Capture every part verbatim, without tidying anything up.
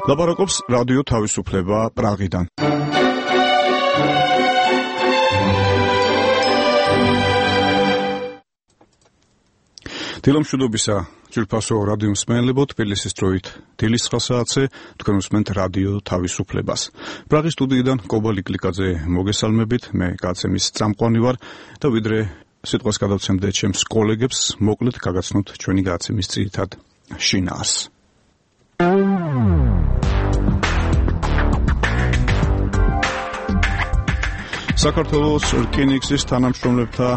ლაპარაკობს რადიო თავისუფლება პრაღიდან. დილამშვიდობისა ძვირფასო რადიო მსმენელებო, თბილისის დროით დილის ცხრა საათზე თქვენ უსმენთ რადიო თავისუფლებას. პრაღის სტუდიიდან კობა ლიკლიკაძე მოგესალმებით, მე გაცემის წამყვანი ვარ და ვიდრე სიტყვას გადავცემდე ჩემს კოლეგებს, მოკლედ გაგაცნოთ ჩვენი გაცემის ძირითად შინაარს. საქართველოს რკინიგზის თანამშრომლებთა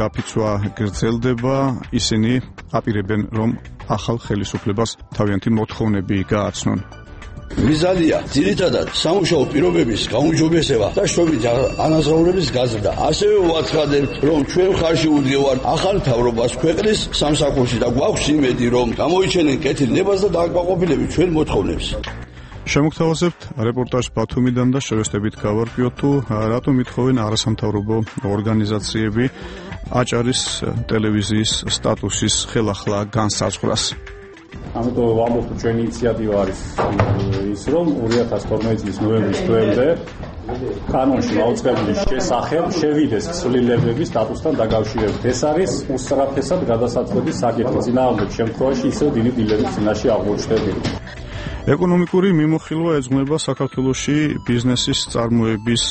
გაფიცვა გრძელდება, ისინი აპირებენ, რომ ახალ ხელისუფლებას თავიანთი მოთხოვნები გააცნონ. მიზანია ძირითადად სამუშაო პირობების გაუმჯობესება და შრომით ანაზღაურების გაზრდა. ასევე ვაცხადებთ, რომ ჩვენ ხარში ვუდგევართ ახალ მთავრობას ქვეყნის სამსახურში და გვაქვს იმედი, რომ გამოიჩენენ კეთილნებას და დააკმაყოფილებით ჩვენ მოთხოვნებს. შემოგთავაზებთ რეპორტაჟ ბათუმიდან და შევესწრებით გავარკვიოთ, თუ რატომ ითხოვენ არასამთავრობო ორგანიზაციები აჭარის ტელევიზიის სტატუსის ხელახლა განსაზღვრას. ამიტომ ვამბობ, თუ ჩვენი ინიციატივა არის ის, რომ ორი ათას თორმეტი წლის ნოემბრის თვემდე კანონში მაუწყებლის შესახებ შევიდეს ცვლილებების სტატუსთან დაკავშირებით. ეს არის უსწრაფესად გადასაწყვეტი საკითხი. წინააღმდეგ შემთხვევაში ისევ დიდი დილების წინაშე აღმოჩნდებით. ეკონომიკური მიმოხილვა ეძღვნება საქართველოში ბიზნესის წარმოების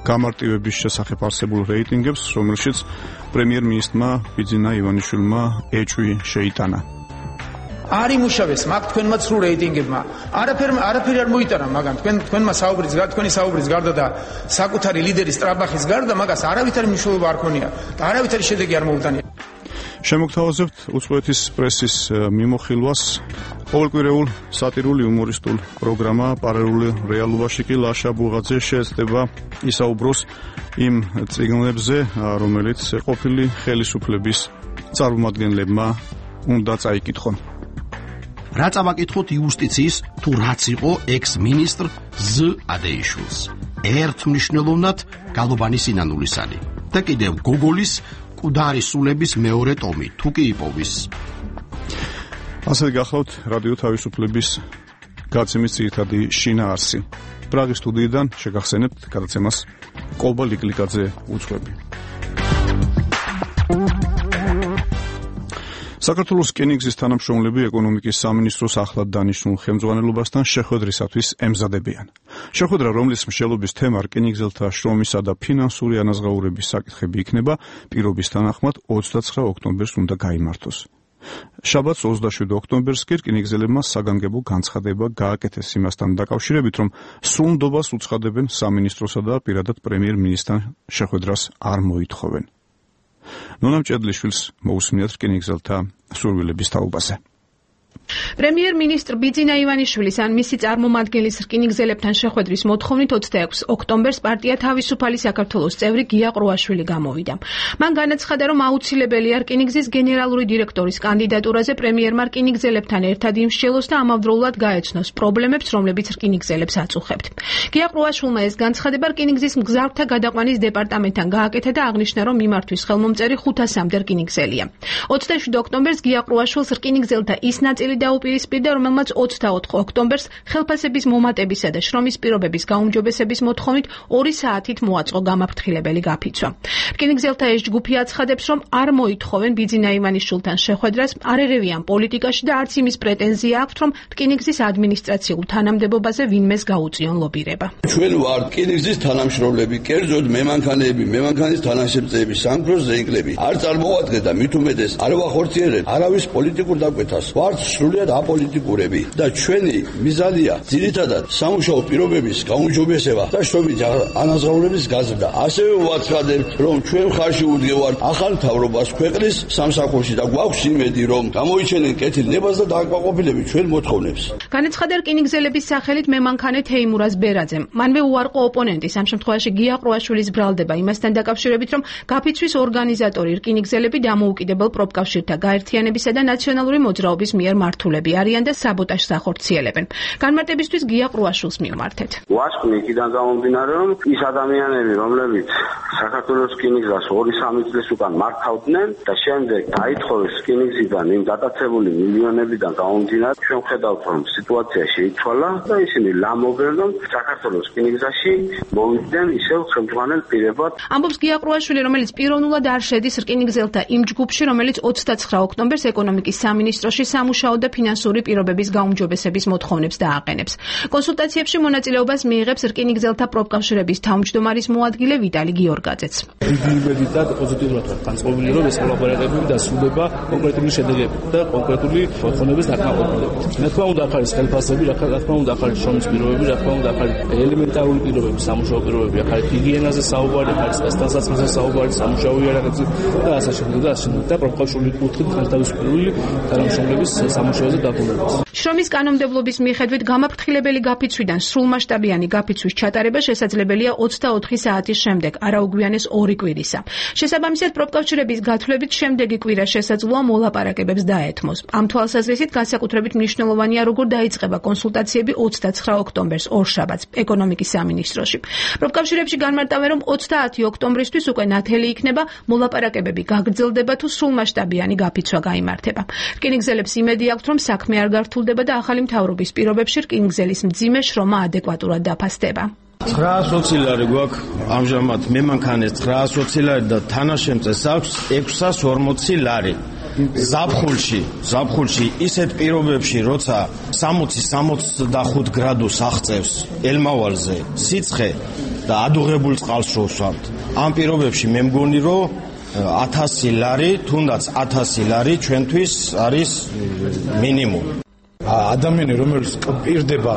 გამარტივების შესახებ არსებულ რეიტინგებს, რომელშიც პრემიერ-მინისტრმა ბიძინა ივანიშვილმა ეჭვი შეიტანა. არ იმუშავეს მაგ თქვენმა ცრუ რეიტინგებმა. არაფერ არაფერი არ მოიტანა მაგან. თქვენ თქვენმა საუბრის გარდა, თქვენი საუბრის გარდა და საკუთარი ლიდერის ტრაბახის გარდა მაგას არავითარი მნიშვნელობა არ ქონია და არავითარი შედეგი არ მოუტანია. შემოგთავაზებთ უცხოეთის პრესის მიმოხილვას. ყოველკვირეულ სატირული იუმორისტულ პროგრამა პარალელურ რეალობაში კი ლაშა ბუღაძე შეეცდება ისაუბროს იმ წიგნებზე, რომელიც ყოფილი ხელისუფლების წარმომადგენლებმა უნდა წაიკითხონ. რა წავაკითხოთ იუსტიციის თუ რაც იყო ექს-მინისტრ ზ ადეიშვილს. ერთ მნიშვნელოვნად გალობანი სინანულისანი და კიდევ გოგოლის კუდარის სულების მეორე ტომი თუ კი იპოვის. ასე გახლავთ რადიო თავისუფლების გაცემის ძირითადი შინაარსი. პრაღის სტუდიიდან შეგახსენებთ გადაცემას კობა ლიკლიკაძე უძღვები. საქართველოს რკინიგზის თანამშრომლები ეკონომიკის სამინისტროს ახლად დანიშნულ ხელმძღვანელობასთან შეხვედრისათვის ემზადებიან. შეხვედრა, რომლის მსჯელობის თემა რკინიგზელთა შრომისა და ფინანსური ანაზღაურების საკითხები იქნება, პირობის თანახმად ოცდაცხრა ოქტომბერს უნდა გაიმართოს. შაბათს ოცდაშვიდი ოქტომბერს კი რკინიგზელებმა საგანგებო განცხადება გააკეთეს იმასთან დაკავშირებით, რომ სრულ ნდობას უცხადებენ სამინისტროსა და პირადად პრემიერ-მინისტრთან შეხვედრას არ მოითხოვენ. ნონა მჭედლიშვილს მოусმინათ რკინიგზელთა სურვილების თაობაზე. პრემიერ-მინისტრ ბიძინა ივანიშვილის ან მისი წარმომადგენლის რკინიგზელებთან შეხვედრის მოთხოვნით ოცდაექვსი ოქტომბერს პარტია თავისუფალი საქართველოს წევრი გია ყრუაშვილი გამოვიდა. მან განაცხადა, რომ აუცილებელია რკინიგზის გენერალური დირექტორის კანდიდატურაზე პრემიერმა რკინიგზელებთან ერთად იმსჯელოს და ამავდროულად გაეცნოს პრობლემებს, რომლებიც რკინიგზელებს აწუხებთ. გია ყრუაშვილმა ეს განცხადება რკინიგზის მგზავრთა გადაყვანის დეპარტამენტთან გააკეთა და აღნიშნა, რომ მიმართვის ხელმომწერი ხუთასამდე რკინიგზელია. ოცდაშვიდი ოქტომბერს გია ყრუაშვილს რკინიგზელთა ის ნაწილი დაუპირისპირდა, რომელმაც ოცდაოთხი ოქტომბერს ხელფასების მომატებისა და შრომის პირობების გაუმჯობესების მოთხოვნით ორი საათით მოაწყო გამაფრთხილებელი გაფიცვა. რკინიგზელთა ეს ჯგუფი აცხადებს, რომ არ მოითხოვენ ბიძინა ივანიშვილთან შეხვედრას, არ ერევიან პოლიტიკაში და არც იმის პრეტენზია აქვთ, რომ რკინიგზის ადმინისტრაციულ თანამდებობაზე ვინმეს გაუწიონ ლობირება. ჩვენ ვართ რკინიგზის თანამშრომლები, კერძოდ მემანქანეები, მემანქანის თანაშემწეები, სამგროს ზეინკლები. არ წარმოვადგეთ და მით უმეტეს არ ვახორციელებთ არავის პოლიტიკურ დაკვეთას. ვართ სრულიად აპოლიტიკურები და ჩვენი მიზანია ძირითადად სამუშაო პირობების გაუმჯობესება და შრომით ანაზღაურების გაზრდა. ასევე ვაცხადებთ, რომ ჩვენ ხარში ვუდგევართ ახალ მთავრობას ქვეყნის სამსახურში და გვაქვს იმედი, რომ გამოიჩენენ კეთილნებას და დააკმაყოფილებით ჩვენ მოთხოვნებს. განაცხადა რკინიგზელების სახელით მემანქანე თეიმურაზ ბერაძემ. მანვე უარყო ოპონენტის, ამ შემთხვევაში გია ყრუაშვილის ბრალდება იმასთან დაკავშირებით, რომ გაფიცვის ორგანიზატორი რკინიგზელები დამოუკიდებელ პროფკავშირთა გაერთიანებისა და ნაციონალური მოძრაობის მიერ მიმართულები არიან და საბოტაჟს ახორციელებენ. განმარტებისთვის გია ყრუაშვილს მივმართეთ. ვასკვნი იქიდან გამომდინარე, რომ ის ადამიანები, რომლებიც საქართველოს რკინიგზას ორი სამი წლის უკან მართავდნენ და შემდეგ დაითხოვეს რკინიგზიდან იმ დატაცებული მილიონებიდან გამომდინარე, ჩვენ ხედავთ, რომ სიტუაცია შეიცვალა და ისინი ლამობენ, რომ საქართველოს რკინიგზაში მოვიდნენ ისევ ხელმძღვანელ პირებად. ამბობს გია ყრუაშვილი, რომელიც პიროვნულად არ შედის რკინიგზელთა იმ ჯგუფში, რომელიც ოცდაცხრა ოქტომბერს ეკონომიკის სამინისტროში სამუშაო და ფინანსური პირობების გაუმჯობესების მოთხოვნებს დააყენებს. კონსულტაციებში მონაწილეობას მიიღებს რკინიგზელთა პროფკავშირების თავმჯდომარის მოადგილე ვიტალი გიორგაძეც. დიდი იმედითაც პოზიტიურად ვარ განწყობილი, რომ ეს კოლაბორატივები დასრულდება კონკრეტული შედეგებით და კონკრეტული მოთხოვნების დაკმაყოფილებით. რა თქმა უნდა, ახალი ხელფასები, რა თქმა უნდა, ახალი შრომის პირობები, რა თქმა უნდა, ახალი ელემენტარული პირობები, სამუშაო პირობები, ახალი ჰიგიენაზე საუბარი, ახალი სტასტანსაცმელზე საუბარი, სამუშაო იარაღებზე და ასე შემდეგ და ასე შემდეგ და პროფკავშირული კუთხით განთავისუფლებული თანამშრომლების სამუშაოზე დაბრუნებას. შრომის კანონმდებლობის მიხედვით გამაფრთხილებელი გაფიცვიდან სრულმასშტაბიანი გაფიცვის ჩატარება შესაძლებელია ოცდაოთხი საათის შემდეგ, არა უგვიანეს ორი კვირისა. შესაბამისად, პროფკავშირების გათვლებით შემდეგი კვირა შესაძლოა მოლაპარაკებებს დაეთმოს. ამ თვალსაზრისით განსაკუთრებით მნიშვნელოვანია, როგორ დაიწყება კონსულტაციები ოცდაცხრა ოქტომბერს ორშაბათს ეკონომიკის სამინისტროში. პროფკავშირებში განმარტავენ, რომ ოცდაათი ოქტომბრისთვის უკვე ნათელი იქნება, მოლაპარაკებები გაგრძელდება თუ სრულმასშტაბიანი გაფიცვა გაიმართება. რკინიგზელებს იმედი აქვთ, რომ საქმე არ გართულდება და ახალი მთავრობის პირობებში რკინიგზელის მძიმე შრომა ადეკვატურად დაფასდება. ცხრაას ოცი ლარი გვაქვს ამჟამად მემანქანეს ცხრაას ოცი ლარი და თანაშემწეს აქვს ექვსას ორმოცი ლარი. ზაფხულში, ზაფხულში ისეთ პირობებში, როცა სამოცი სამოცდახუთ გრადუს აღწევს ელმავალზე სიცხე და ადუღებულ წყალს შევსვამთ. ამ პირობებში მე მგონი, რომ ათასი ლარი, თუნდაც ათასი ლარი ჩვენთვის არის მინიმუმი. ადამიანი, რომელიც პირდება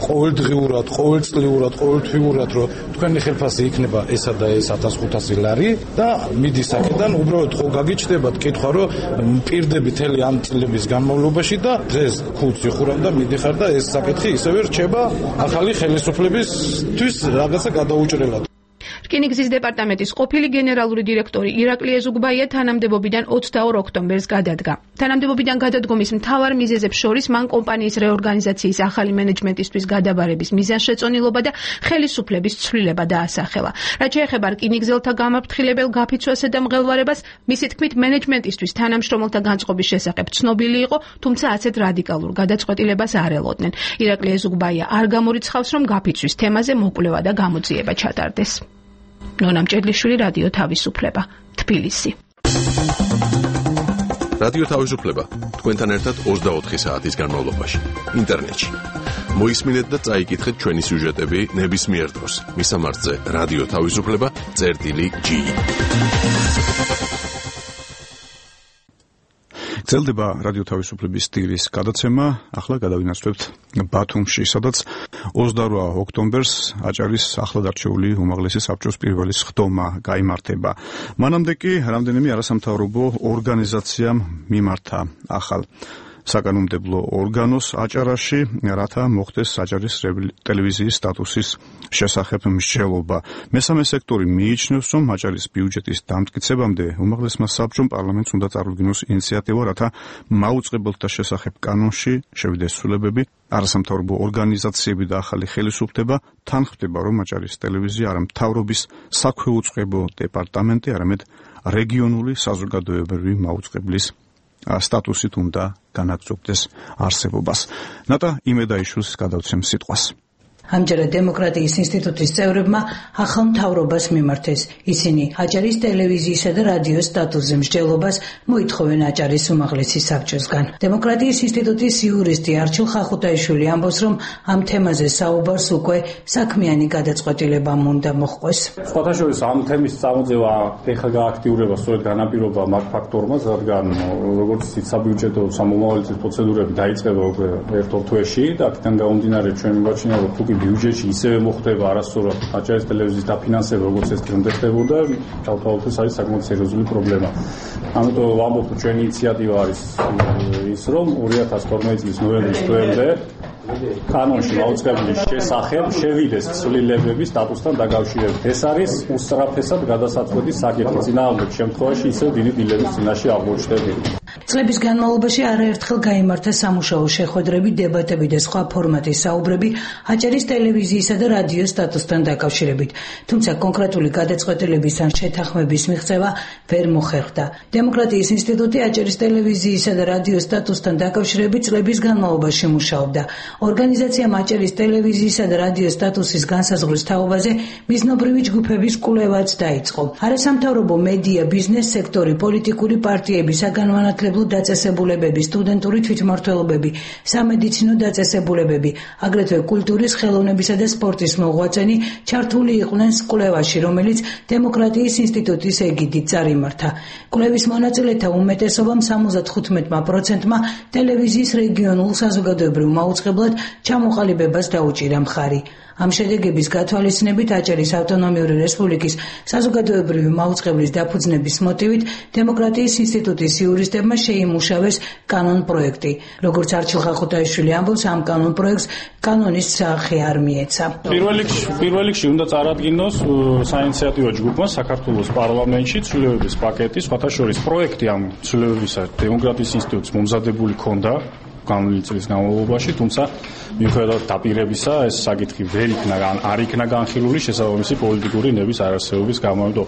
ყოველდღიურად, ყოველწლიურად, ყოველთვიურად, რომ თქვენი ხელფასი იქნება ესა და ეს ათას ხუთასი ლარი და მიდის აქედან, უბრალოდ ხო გაგიჩნდებათ კითხვა, რომ პირდები თელი ამ წლების განმავლობაში და დღეს ქუდს იხურავ და მიდიხარ და ეს საკითხი ისევე რჩება ახალი ხელისუფლებისთვის რაღაცა გადაუჭრელად. რკინიგზის დეპარტამენტის ყოფილი გენერალური დირექტორი ირაკლი ეზუგბაია თანამდებობიდან ოცდაორ ოქტომბერს გადადგა. თანამდებობიდან გადადგომის მთავარ მიზეზებს შორის მან კომპანიის რეორგანიზაციის ახალი მენეჯმენტისთვის გადაბარების მიზანშეწონილობა და ხელისუფლების ცვლილება დაასახელა. რაც შეეხება რკინიგზელთა გამაფრთხილებელ გაფიცვასა და მღელვარებას, მისი თქმით, მენეჯმენტისთვის თანამშრომელთა განწყობის შესახებ ცნობილი იყო, თუმცა ასეთ რადიკალურ გადაწყვეტილებას არ ელოდნენ. ირაკლი ეზუგბაია არ გამორიცხავს, რომ გაფიცვის თემაზე მოკვლევა და გამოძიება ჩატარდეს. ნონა მჭედლიშვილი, რადიო თავისუფლება, თბილისი. რადიო თავისუფლება თქვენთან ერთად ოცდაოთხი საათის განმავლობაში ინტერნეტში. მოისმინეთ და წაიკითხეთ ჩვენი სიუჟეტები ნებისმიერ დროს. მისამართზე რადიო თავისუფლება წერტილი ჯი. გრძელდება რადიო თავისუფლების ტირის გადაცემა. ახლა გადავინაცვლებთ ბათუმში, სადაც ოცდაორ ოქტომბერს აჭარის ახლად არჩეული უმაღლესი საბჭოს პირველი სხდომა გაიმართება. მანამდე კი რამდენიმე არასამთავრობო ორგანიზაციამ მიმართა ახალ საკანონმდებლო ორგანოს აჭარაში, რათა მოხდეს აჭარის ტელევიზიის სტატუსის შესახებ მსჯელობა. მესამე სექტორი მიიჩნევს, რომ აჭარის ბიუჯეტის დამტკიცებამდე უმაღლესმა საბჭომ პარლამენტს უნდა წარუდგინოს ინიციატივა, რათა მაუწყებელთა შესახებ კანონში შევიდეს ცვლილებები. არასამთავრობო ორგანიზაციები და ახალი ხელისუფლება თან ხვდება, რომ აჭარის ტელევიზია არა მთავრობის საქვეუწყებო დეპარტამენტი, არამედ რეგიონული საზოგადოებრივი მაუწყებლის სტატუსით უნდა განაგრძობდეს არსებობას. ნატა იმედაიშვილს გადავცემ სიტყვას. ამჯერად დემოკრატიის ინსტიტუტის წევრებმა ახალ მთავრობას მიმართეს. ისინი აჭარის ტელევიზიისა და რადიოს სტატუსზე მსჯელობას მოითხოვენ აჭარის უმაღლესი საბჭოსგან. დემოკრატიის ინსტიტუტის იურისტი არჩილ ხახუტაიშვილი ამბობს, რომ ამ თემაზე საუბარს უკვე საქმიანი გადაწყვეტილება უნდა მოჰყვეს. სხვათა შორის ამ თემის წამოწევა ეხლა გააქტიურება სწორედ განაპირობა მაგ ფაქტორმა, რადგან როგორც იცით, საბიუჯეტო სამომავლელი პროცედურები დაიწყება უკვე ერთ-ორ თვეში და აქედან გამომდინარე ჩვენ მივაჩნია, რომ თუკი ბიუჯეტში ისევე მოხდება არასწორად აჭარის ტელევიზიის დაფინანსება, როგორც ეს დღემდე ხდებოდა, თავთავალთვის არის საკმაოდ სერიოზული პრობლემა. ამიტომ ვამბობ, რომ ჩვენი ინიციატივა არის ის, რომ ორი ათას თორმეტი წლის ნოემბრის თვემდე კანონში მაუწყებლის შესახებ შევიდეს ცვლილებები სტატუსთან დაკავშირებით. ეს არის უსწრაფესად გადასაწყვეტი საკითხი. წინააღმდეგ შემთხვევაში ისევ დიდი დილების წინაშე აღმოჩნდები. წლების განმავლობაში არაერთხელ გაიმართა სამუშაო შეხვედრები, დებატები და სხვა ფორმატის საუბრები აჭარის ტელევიზიისა და რადიოს სტატუსთან დაკავშირებით, თუმცა კონკრეტული გადაწყვეტილების ან შეთანხმების მიღწევა ვერ მოხერხდა. დემოკრატიის ინსტიტუტი აჭარის ტელევიზიისა და რადიოს სტატუსთან დაკავშირებით წლების განმავლობაში მუშაობდა. ორგანიზაციამ აჭარის ტელევიზიისა და რადიოს სტატუსის განსაზღვრის თაობაზე მიზნობრივი ჯგუფების კვლევაც დაიწყო. არასამთავრობო მედია, ბიზნეს სექტორი, პოლიტიკური პარტიები, საგანმანათლებლო დაწესებულებები, სტუდენტური თვითმმართველობები, სამედიცინო დაწესებულებები, აგრეთვე კულტურის, ხელოვნებისა და სპორტის მოღვაწენი ჩართული იყვნენ კვლევაში, რომელიც დემოკრატიის ინსტიტუტის ეგიდით წარიმართა. კვლევის მონაწილეთა უმეტესობამ სამოცდახუთმეტ პროცენტმა ტელევიზიის რეგიონულ საზოგადოებრივ მაუწყებლად ჩამოყალიბებას დაუჭირა მხარი. ამ შედეგების გათვალისწინებით აჭარის ავტონომიური რესპუბლიკის საზოგადოებრივი მაუწყებლის დაფუძნების მოტივით დემოკრატიის ინსტიტუტის იურისტებმა შეიმუშავეს კანონ პროექტი. როგორც არჩილ ხახუტაიშვილი ამბობს, ამ კანონ პროექტს კანონის სახე არ მიეცა. პირველ რიგში უნდა წარადგინოს საინიციატივო ჯგუფმა საქართველოს პარლამენტში ცვლილებების პაკეტი, სხვათა შორის პროექტი ამ ცვლილებებისა დემოკრატიის ინსტიტუტს მომზადებული ჰქონდა განვლილი წლის განმავლობაში, თუმცა მიუხედავად დაპირებისა ეს საკითხი ვერ იქნა ან არ იქნა განხილული შესაბამისი პოლიტიკური ნების არარსებობის გამო.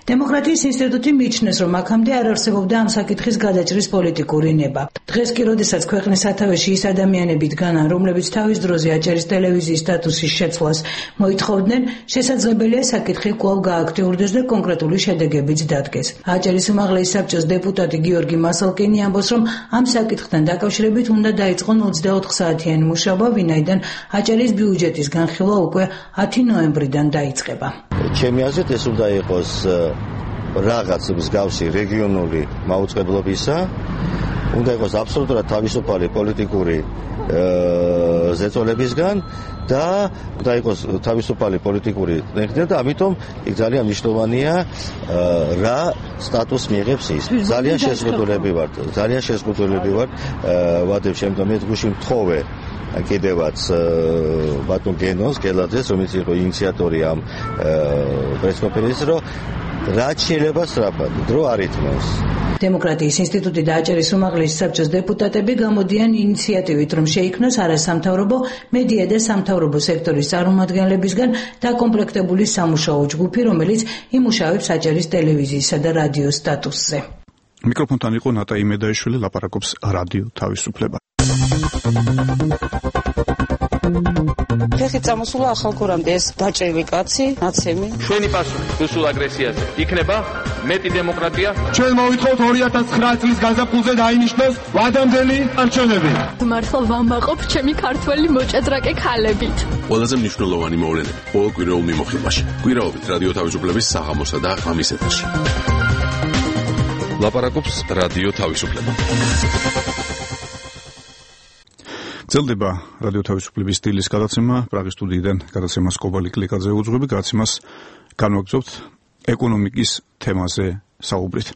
დემოკრატიის ინსტიტუტი მიიჩნევს, რომ აქამდე არ არსებობდა ამ საკითხის გადაჭრის პოლიტიკური ნება. დღეს კი, როდესაც ქვეყნის სათავეში ის ადამიანები დგანან, რომლებიც თავის დროზე აჭარის ტელევიზიის სტატუსის შეცვლას მოითხოვდნენ, შესაძლებელია საკითხი კვლავ გააქტიურდეს და კონკრეტული შედეგებიც დადგეს. აჭარის უმაღლესი საბჭოს დეპუტატი გიორგი მასალკინი ამბობს, რომ ამ საკითხთან დაკავშირებით უნდა დაიწყონ ოცდაოთხ საათიანი მუშაობა, ვინაიდან აჭარის ბიუჯეტის განხილვა უკვე ათი ნოემბრიდან დაიწყება. ჩემი აზრით ეს უნდა იყოს რაღაც მსგავსი რეგიონული მაუწყებლობისა, უნდა იყოს აბსოლუტურად თავისუფალი პოლიტიკური ზეწოლებისგან და უნდა იყოს თავისუფალი პოლიტიკური ტექნიკა და ამიტომ იქ ძალიან მნიშვნელოვანია რა სტატუსს მიიღებს ის. ძალიან შეზღუდულები ვართ, ძალიან შეზღუდულები ვართ, ვადებ შემდგომ მე გუში მთხოვე კიდევაც ბატონ გენოს გელაძეს, რომელიც იყო ინიციატორი ამ პრესკონფერენციის, რომ რაც შეიძლება სწრაფად, დრო არ ითმევს. დემოკრატიის ინსტიტუტი და აჭარის უმაღლესი საბჭოს დეპუტატები გამოდიან ინიციატივით, რომ შეიქმნოს არასამთავრობო მედია და სამთავრობო სექტორის წარმომადგენლებისგან დაკომპლექტებული სამუშაო ჯგუფი, რომელიც იმუშავებს აჭარის ტელევიზიისა და რადიოს სტატუსზე. მიკროფონთან იყო ნატა იმედაიშვილი, ლაპარაკობს რადიო თავისუფლება. ფეხი წამოსულა ახალგორამდე ეს დაჭრილი კაცი, ნაცემი. ჩვენი პასუხი რუსულ აგრესიაზე იქნება მეტი დემოკრატია. ჩვენ მოვითხოვთ ორი ათას ცხრა წლის გაზაფხულზე დაინიშნოს ვადამდელი არჩევნები. მართლა ვამაყობ ჩემი ქართველი მოჭადრაკე ქალებით. ყველაზე მნიშვნელოვანი მოვლენები ყოველ კვირაულ მიმოხილვაში. კვირაობით რადიო თავისუფლების საღამოსა და ღამის ეთერში. ლაპარაკობს რადიო თავისუფლება. გრძელდება რადიო თავისუფლების სტილის გადაცემა, პრაღის სტუდიიდან გადაცემას კობალი კლიკაძე უძღვები, გადაცემას განვაგრძობთ ეკონომიკის თემაზე საუბრით.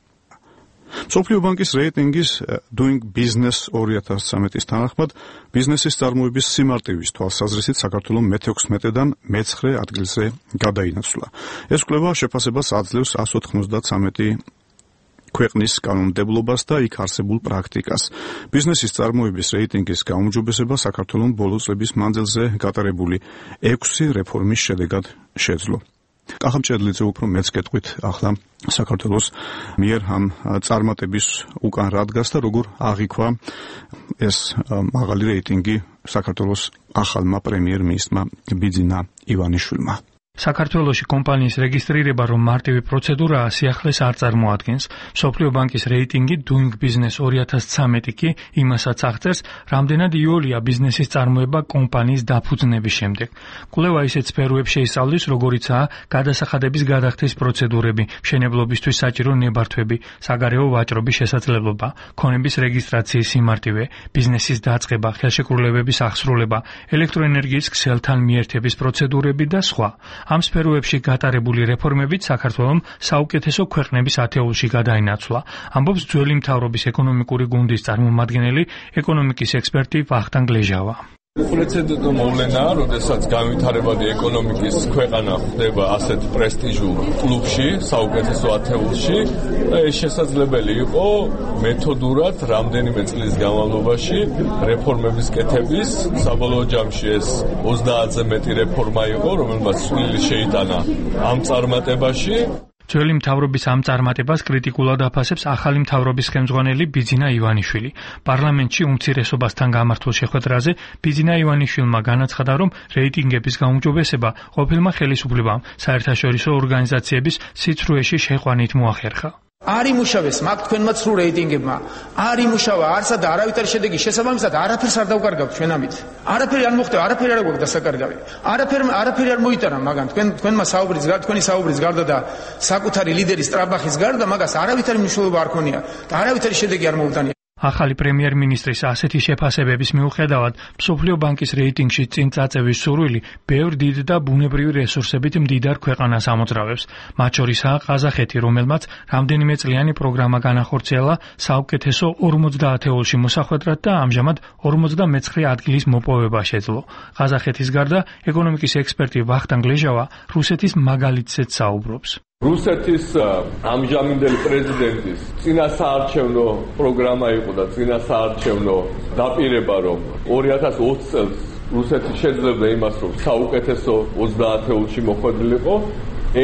მსოფლიო ბანკის რეიტინგის Doing Business ორი ათას ცხრამეტის თანახმად ბიზნესის წარმოების სიმარტივის თვალსაზრისით საქართველო მეთექვსმეტედან მეცხრე ადგილზე გადაინაცვლა. ეს კვლევა შეფასებას აძლევს εκατს ოთხმოცდათვრამეტი ქვეყნის კანონმდებლობას და იქ არსებულ პრაქტიკას. ბიზნესის წარმოების რეიტინგის გაუმჯობესება საქართველოს ბოლო წლების მანძილზე გატარებული ექვსი რეფორმის შედეგად შეძლო. კახამჭედლიძე უფრო მეც გეტყვით ახლა საქართველოს მიერ ამ წარმატების უკან რა დგას და როგორ აღიქვა ეს მაღალი რეიტინგი საქართველოს ახალმა პრემიერ-მინისტრმა ბიძინა ივანიშვილმა. საქართველოში კომპანიის რეგისტრირება რომ მარტივი პროცედურაა, სიახლეს არ წარმოადგენს. მსოფლიო ბანკის რეიტინგი Doing Business ორი ათას ცხრამეტი კი იმასაც აღწერს, რამდენად იოლია ბიზნესის წარმოება კომპანიის დაფუძნების შემდეგ. კვლევა ისეთ სფეროებს შეისწავლის, როგორიცაა გადასახადების გადახდის პროცედურები, მშენებლობისთვის საჭირო ნებართვები, საგარეო ვაჭრობის შესაძლებლობა, ქონების რეგისტრაციის სიმარტივე, ბიზნესის დაწყება, ხელშეკრულებების აღსრულება, ელექტროენერგიის ქსელთან მიერთების პროცედურები და სხვა. ამ სფეროებში გატარებული რეფორმებით საქართველოს საუკეთესო ქვეყნების ათეულში გადაინაცვლა, ამბობს ძველი მთავრობის ეკონომიკური გუნდის წარმომადგენელი, ეკონომიკის ექსპერტი ვახტანგ ლეჟავა. პრეცედენტო მოვლენაა, როდესაც განვითარებადი ეკონომიკის ქვეყანა ხდება ასეთ პრესტიჟულ კლუბში, საუკეთესო ათეულში და ეს შესაძლებელი იყო მეთოდურად რამდენიმე წლის განმავლობაში რეფორმების კეთების, საბოლოო ჯამში ეს ოცდაათზე მეტი რეფორმა იყო, რომელმაც წვლილი შეიტანა ამ წარმატებაში. ძველი მთავრობის ამ წარმატებას კრიტიკულად აფასებს ახალი მთავრობის ხელმძღვანელი ბიძინა ივანიშვილი. პარლამენტში უმცირესობასთან გამართულ შეხვედრაზე ბიძინა ივანიშვილმა განაცხადა, რომ რეიტინგების გაუმჯობესება ყოფილმა ხელისუფლებამ საერთაშორისო ორგანიზაციების სიცრუეში შეყვანით მოახერხა. არ იმუშავეს მაგ თქვენმა ცრუ რეიტინგებმა, არ იმუშავა არსა და არავითარი შედეგი შესაბამისად არაფერს არ დავკარგავთ ჩვენ ამით. არაფერი არ მოხდა, არაფერი არ გვაქვს დასაკარგავი. არაფერი არაფერი არ მოიტანა მაგან თქვენ თქვენმა საუბრის თქვენი საუბრის გარდა და საკუთარი ლიდერის ტრაბახის გარდა მაგას არავითარი მნიშვნელობა არ ქონია და არავითარი შედეგი არ მოუტანია. ახალი პრემიერ-მინისტრის ასეთი შეფასებების მიუხედავად, მსოფლიო ბანკის რეიტინგში წინ წაწევის სურვილი ბევრ დიდ და ბუნებრივი რესურსებით მდიდარ ქვეყანას ამოძრავებს. მათ შორისაა ყაზახეთი, რომელმაც რამდენიმე წლიანი პროგრამა განახორციელა საუკეთესო ორმოცდაათეულში მოსახვედრად და ამჟამად ორმოცდამეცხრე ადგილის მოპოვება შეძლო. ყაზახეთის გარდა ეკონომიკის ექსპერტი ვახტანგ ლეჟავა რუსეთის მაგალითზეც საუბრობს. რუსეთის ამჟამინდელი პრეზიდენტის წინასაარჩევნო პროგრამა იყო და წინასაარჩევნო დაპირება, რომ ორი ათას ოცი წელს რუსეთი შეძლებდა იმას, რომ საუკეთესო ოცდაათეულში მოხვედრილიყო.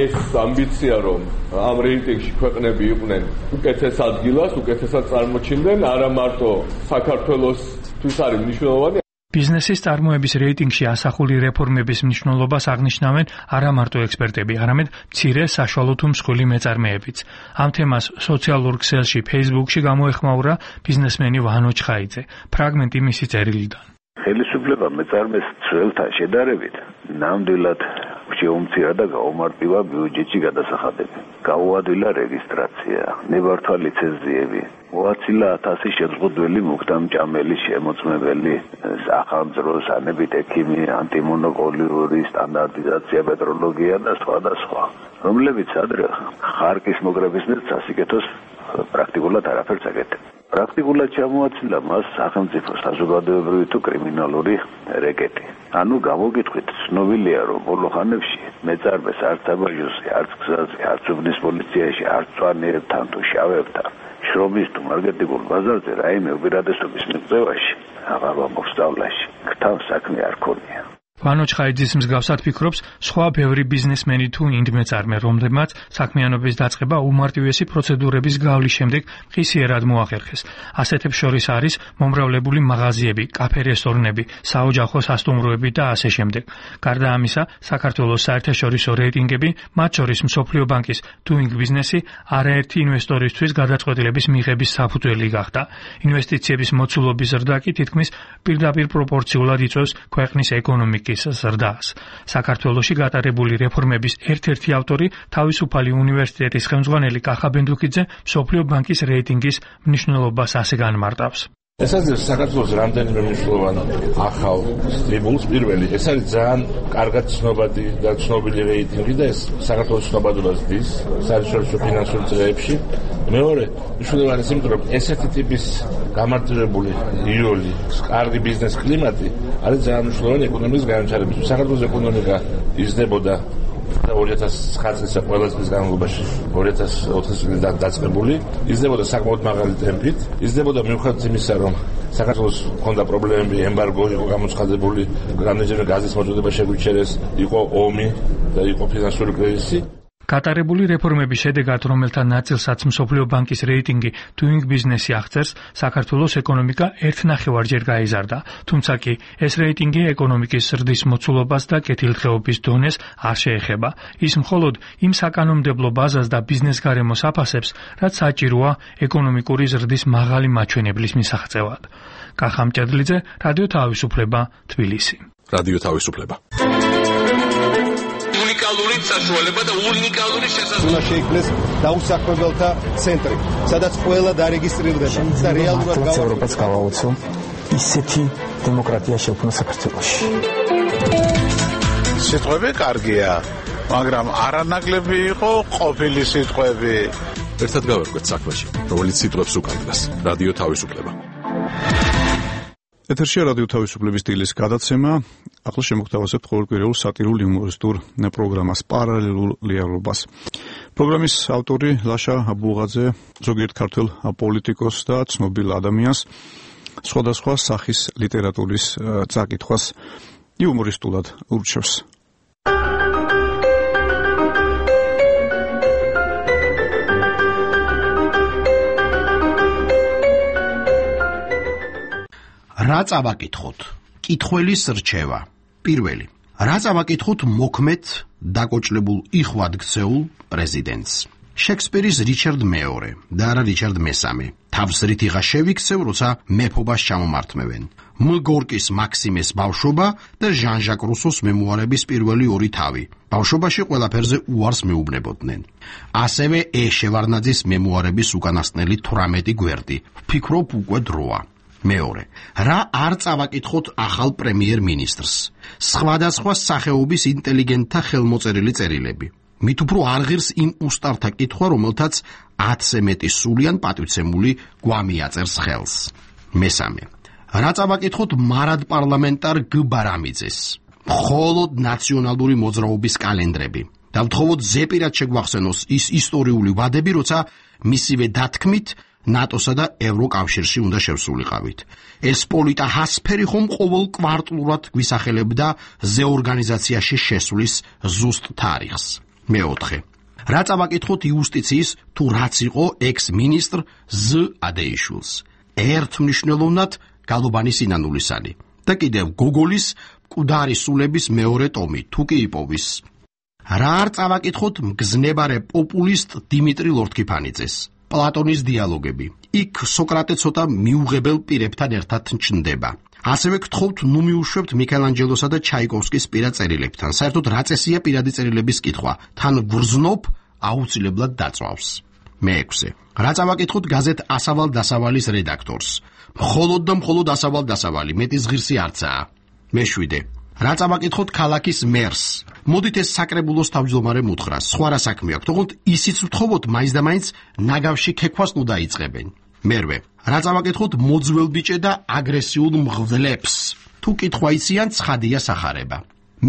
ეს ამბიცია, რომ ამ რეიტინგში ქვეყნები იყვნენ უკეთეს ადგილას, უკეთესად წარმოჩინდნენ, არა მარტო საქართველოსთვის არის მნიშვნელოვანი. ბიზნესის წარმოების რეიტინგში ასახული რეფორმების მნიშვნელობას აღნიშნავენ არა მარტო ექსპერტები, არამედ მცირე, საშუალო თუ მსხვილი მეწარმეებიც. ამ თემას სოციალურ ქსელში Facebook-ში გამოეხმაურა ბიზნესმენი ვანო ჩხაიძე. ფრაგმენტი მისი წერილიდან. ხელისუფლება მეწარმეს ძველთან შედარებით ნამდვილად შეუმცირა და გაუმარტივა ბიუჯეტში გადასახადები. გაუადვილა რეგისტრაცია, ნებართვა ლიცენზიები, მოაცილა ათასი შეზღუდველი მუქთამჭამელი შემოწმებელი, სახანძრო, სანებით ექიმი, ანტიმონოპოლიური სტანდარტიზაცია, მეტროლოგია და სხვა და სხვა, რომლებიც ადრე ხარკის მოგრების მერე სასიკეთოს პრაქტიკულად არაფერს აკეთებდა. პრაქტიკულად ჩამოაჩინა მას სახელმწიფო საზოგადოებრივი თუ კრიმინალური რეკეტი. ანუ გამოგიტყვით, ცნობილია, რომ ბოლო ხანებში მეწარმეს არც აბაჟოსი, არც გზაზე, არც უბნის პოლიციაში, არც წვანიერთან თუ შავებთან, შრომის თუ მარკეტინგულ ბაზარზე რაიმე უპირატესობის მიღწევაში, აღარ მოსწავლაში, ქთან საქმე არ ქონია. ვანო ჩხაიძის მსგავსად ფიქრობს სხვა ბევრი ბიზნესმენი თუ ინდმეწარმე, რომლებმაც საქმიანობის დაწყება უმარტივესი პროცედურების გავლის შემდეგ ხისიერად მოახერხეს. ასეთებს შორის არის მომრავლებული მაღაზიები, კაფე-რესტორნები, საოჯახო სასტუმროები და ასე შემდეგ. გარდა ამისა, საქართველოს საერთაშორისო რეიტინგები, მათ შორის მსოფლიო ბანკის Doing Business-ი, არაერთი ინვესტორისთვის გადაწყვეტილების მიღების საფუძველი გახდა. ინვესტიციების მოცულობის ზრდა კი თითქმის პირდაპირ პროპორციულად იწვევს ქვეყნის ეკონომიკის ზრდას. საქართველოში გატარებული რეფორმების ერთ-ერთი ავტორი თავისუფალი უნივერსიტეტის ხელმძღვანელი კახა ბენდუკიძე მსოფლიო ბანკის რეიტინგის მნიშვნელობას ასე განმარტავს. ეს არის საქართველოს რამდენიმე მნიშვნელოვანი ახალ სტიმულს. პირველი, ეს არის ძალიან კარგად ცნობადი და ცნობილი რეიტინგი და ეს საქართველოს ცნობადობას დის საერთაშორისო ფინანსურ წრეებში. მეორე, მნიშვნელოვანი ის, რომ ესეთი ტიპის გამარტივებული იოლი, კარგი ბიზნეს კლიმატი არის ძალიან მნიშვნელოვანი ეკონომიკის განვითარებისთვის. საქართველოს ეკონომიკა იზრდებოდა ორი ათას ცხრა წლის ყველა წლის განმავლობაში, ორი ათას ოთხი წლის დაწყებული, იზრდებოდა საკმაოდ მაღალი ტემპით, იზრდებოდა მიუხედავად იმისა, რომ საქართველოს ჰქონდა პრობლემები, ემბარგო იყო გამოცხადებული, რამდენჯერმე გაზის მოწოდება შეგვიჩერეს, იყო ომი და იყო ფინანსური კრიზისი. გატარებული რეფორმების შედეგად, რომელთა ნაწილსაც მსოფლიო ბანკის რეიტინგი Doing Business-ი აღწერს, საქართველოს ეკონომიკა ერთ ნახევარჯერ გაიზარდა. თუმცა კი ეს რეიტინგი ეკონომიკის ზრდის მოცულობას და კეთილდღეობის დონეს არ შეეხება. ის მხოლოდ იმ საკანონმდებლო ბაზას და ბიზნეს გარემოს აფასებს, რაც საჭიროა ეკონომიკური ზრდის მაღალი მაჩვენებლის მისაღწევად. კახა მჭედლიძე, რადიო თავისუფლება, თბილისი. რადიო თავისუფლება. უნიკალური საშუალება და უნიკალური შესაძლებლობა. უნდა შეიქმნეს დაუსაქმებელთა ცენტრი, სადაც ყველა დარეგისტრირდება და რეალურად ევროპას გავაოცო ისეთი დემოკრატია შექმნა საქართველოში. სიტყვები კარგია, მაგრამ არანაკლები იყო ყოფილი სიტყვები. ერთად გავერკვეთ საქმეში, რომელიც სიტყვებს უკანდას. რადიო თავისუფლება. ეთერშია რადიო თავისუფლების დილის გადაცემა. ახლა შემოგთავაზებთ ყოველკვირეულ სატირულ იუმორისტულ პროგრამას პარალელურ რეალობას. პროგრამის ავტორი ლაშა აბულღაძე ზოგიერთ ქართველ პოლიტიკოსს და ცნობილ ადამიანს სხვადასხვა სახის ლიტერატურის წაკითხვას იუმორისტულად ურჩევს. რა წავაკითხოთ? კითხველის რჩევა. პირველი. რა წავაკითხოთ მოქმედ დაკოჭლებულ იხვად ქცეულ პრეზიდენტს? შექსპირის რიჩარდ მეორე და არა რიჩარდ მესამე. თავს რითიღა შევიქცევ, როცა მეფობას ჩამომართმევენ. მ. გორკის მაქსიმეს ბავშვობა და ჟან-ჟაკ რუსოს მემუარების პირველი ორი თავი. ბავშვობაში ყველაფერზე უარს მეუბნებოდნენ. ასევე ე. შევარნაძის მემუარების უკანასკნელი თვრამეტი გვერდი. ვფიქრობ უკვე დროა. მეორე. რა არ წავაკითხოთ ახალ პრემიერ-მინისტრს? სხვადასხვა სახეობის ინტელიგენტთა ხელმოწერილი წერილები. მით უფრო არ ღირს იმ უსტართა კითხვა, რომელთაც ათზე მეტი სულიან პატივცემული გვამი აწერს ხელს. მესამე. რა წავაკითხოთ მარად პარლამენტარ გ. ბარამიძეს? მხოლოდ ნაციონალური მოძრაობის კალენდრები. და ვთხოვოთ ზეპირად შეგვახსენოს ის ისტორიული ვადები, როცა მისივე დათქმით ნატოსა და ევროკავშირში უნდა შევსულიყავით. ეს პოლიტა ჰასფერი ხომ ყოველ კვარტლურად გვისახელებდა ზეორგანიზაციაში შესვლის ზუსტ თარიღს. მეოთხე. რა წავაკითხოთ იუსტიციის თუ რაც იყო ექს-მინისტრ ზ. ადეიშვილს? ერთმნიშვნელოვნად გალობანი სინანულისანი. და კიდევ გოგოლის მკვდარი სულების მეორე ტომი თუ კი იპოვის. რა არ წავაკითხოთ მგზნებარე პოპულისტ დიმიტრი ლორთქიფანიძეს? პლატონის დიალოგები. იქ სოკრატე ცოტა მიუღებელ პირებთან ერთად ჩნდება. ასევე გთხოვთ ნუ მიუშვებთ მიქელანჯელოსა და ჩაიკოვსკის პირად წერილებთან. საერთოდ რა წესია პირადი წერილების კითხვა? თან გვრძნობ აუცილებლად დაწვავს. მეექვსე. რა წავაკითხოთ გაზეთ ასავალ დასავალის რედაქტორს? მხოლოდ და მხოლოდ ასავალ დასავალი, მეტის ღირსი არცაა. მეშვიდე. რა წავაკითხოთ ქალაქის მერს? მოდით ეს საკრებულოს თავმჯდომარე მუთხრა, სხვა რა საქმე აქვს, თქო ისიც ვთხოვოთ მაინც და მაინც ნაგავში ქექვას ნუ დაიწყებენ. მერვე. რა წავაკითხოთ მოძველბიჭე და აგრესიულ მღვდლებს? თუ კითხვა იციან, ცხადია სახარება.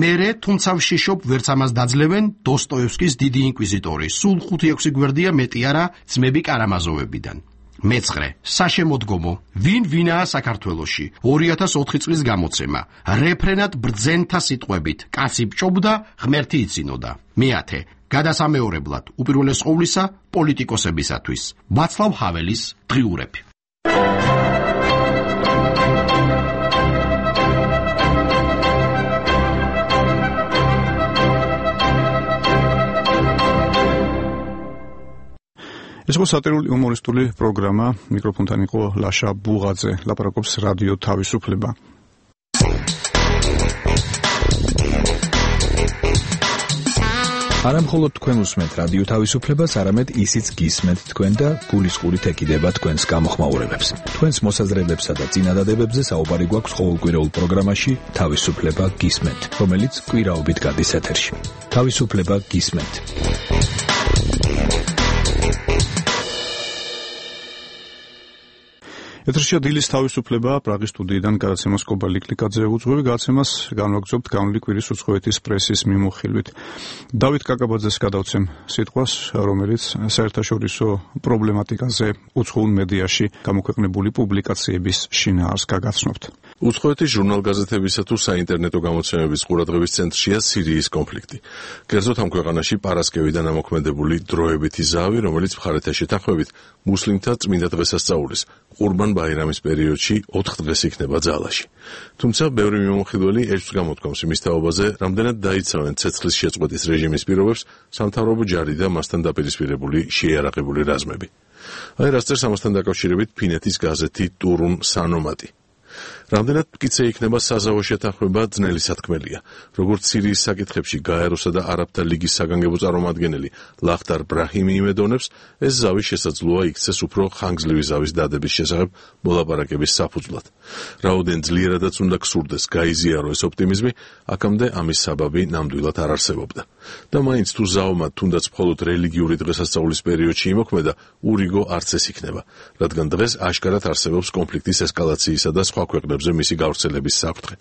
მერე, თუმცა ვშიშობ, ვერც ამას დაძლევენ დოსტოევსკის დიდი ინკვიზიტორი. სულ ხუთი ექვსი გვერდია მეტი არა ძმები კარამაზოვებიდან. მეცხრე. საშემოდგომო. ვინ ვინაა საქართველოში? ორი ათას ოთხი წლის გამოცემა. რეფრენად ბრძენთა სიტყვებით. კაცი ბჭობდა, ღმერთი იცინოდა. მეათე. გადასამეორებლად, უპირველეს ყოვლისა, პოლიტიკოსებისათვის. ვაცლავ ჰაველის დღიურები. ეს იყო სატირული იუმორისტული პროგრამა. მიკროფონთან იყო ლაშა ბულღაძე. ლაპარაკობს რადიო თავისუფლება. არა მხოლოდ თქვენ უსმენთ რადიო თავისუფლებას, არამედ ისიც გისმენთ თქვენ და გულისყურით ეკიდება თქვენს გამოხმაურებებს. თქვენს მოსაზრებებსა და წინადადებებზე საუბარი გვაქვს ყოველკვირეულ პროგრამაში თავისუფლება გისმენთ, რომელიც კვირაობით გადის ეთერში. თავისუფლება გისმენთ. ეთერშია დილის თავისუფლება. პრაღის სტუდიიდან გადაცემას კობა ლიკლიკაძე უძღვევი. გადაცემას განვაგრძობთ განვლილი კვირის უცხოეთის პრესის მიმოხილვით. დავით კაკაბაძეს გადავცემ სიტყვას, რომელიც საერთაშორისო პრობლემატიკაზე უცხოურ მედიაში გამოქვეყნებული პუბლიკაციების შინაარსს გაგაცნობთ. უცხოეთის ჟურნალ-გაზეთებისა თუ საინტერნეტო გამოცემების ყურადღების ცენტრშია სირიის კონფლიქტი. კერძოდ ამ ქვეყანაში პარასკევიდან ამოქმედებული დროებითი ზავი, რომელიც მხარეთა შეთანხმებით მუსლიმთა წმინდა დღესასწაულის ყურბან ბაირამის პერიოდში ოთხ დღეს იქნება ძალაში. თუმცა ბევრი მიმოხილველი ეჭვს გამოთქვამს იმის თაობაზე, რამდენად დაიცავენ ცეცხლის შეწყვეტის რეჟიმის პირობებს სამთავრობო ჯარი და მასთან დაპირისპირებული შეიარაღებული რაზმები. აი რას წერს ამასთან დაკავშირებით ფინეთის გაზეთი ტურუნ სანომატი. რამდენად მტკიცე იქნება საზავო შეთანხმება ძნელი სათქმელია. როგორც სირიის საკითხებში გაეროსა და არაბთა ლიგის საგანგებო წარმომადგენელი ლახტარ ბრაჰიმი იმედოვნებს, ეს ზავი შესაძლოა იქცეს უფრო ხანგრძლივი ზავის დადების შესახებ მოლაპარაკების საფუძვლად. რაოდენ ძლიერადაც უნდა გსურდეს გაიზიარო ეს ოპტიმიზმი, აქამდე ამის საბაბი ნამდვილად არ არსებობდა. და მაინც თუ ზავმა თუნდაც მხოლოდ რელიგიური დღესასწაულის პერიოდში იმოქმედა, ურიგო არც ეს იქნება, რადგან დღეს აშკარად არსებობს კონფლიქტის ესკალაციისა და სხვა სხვა ქვეყნებზე მისი გავრცელების საფრთხე.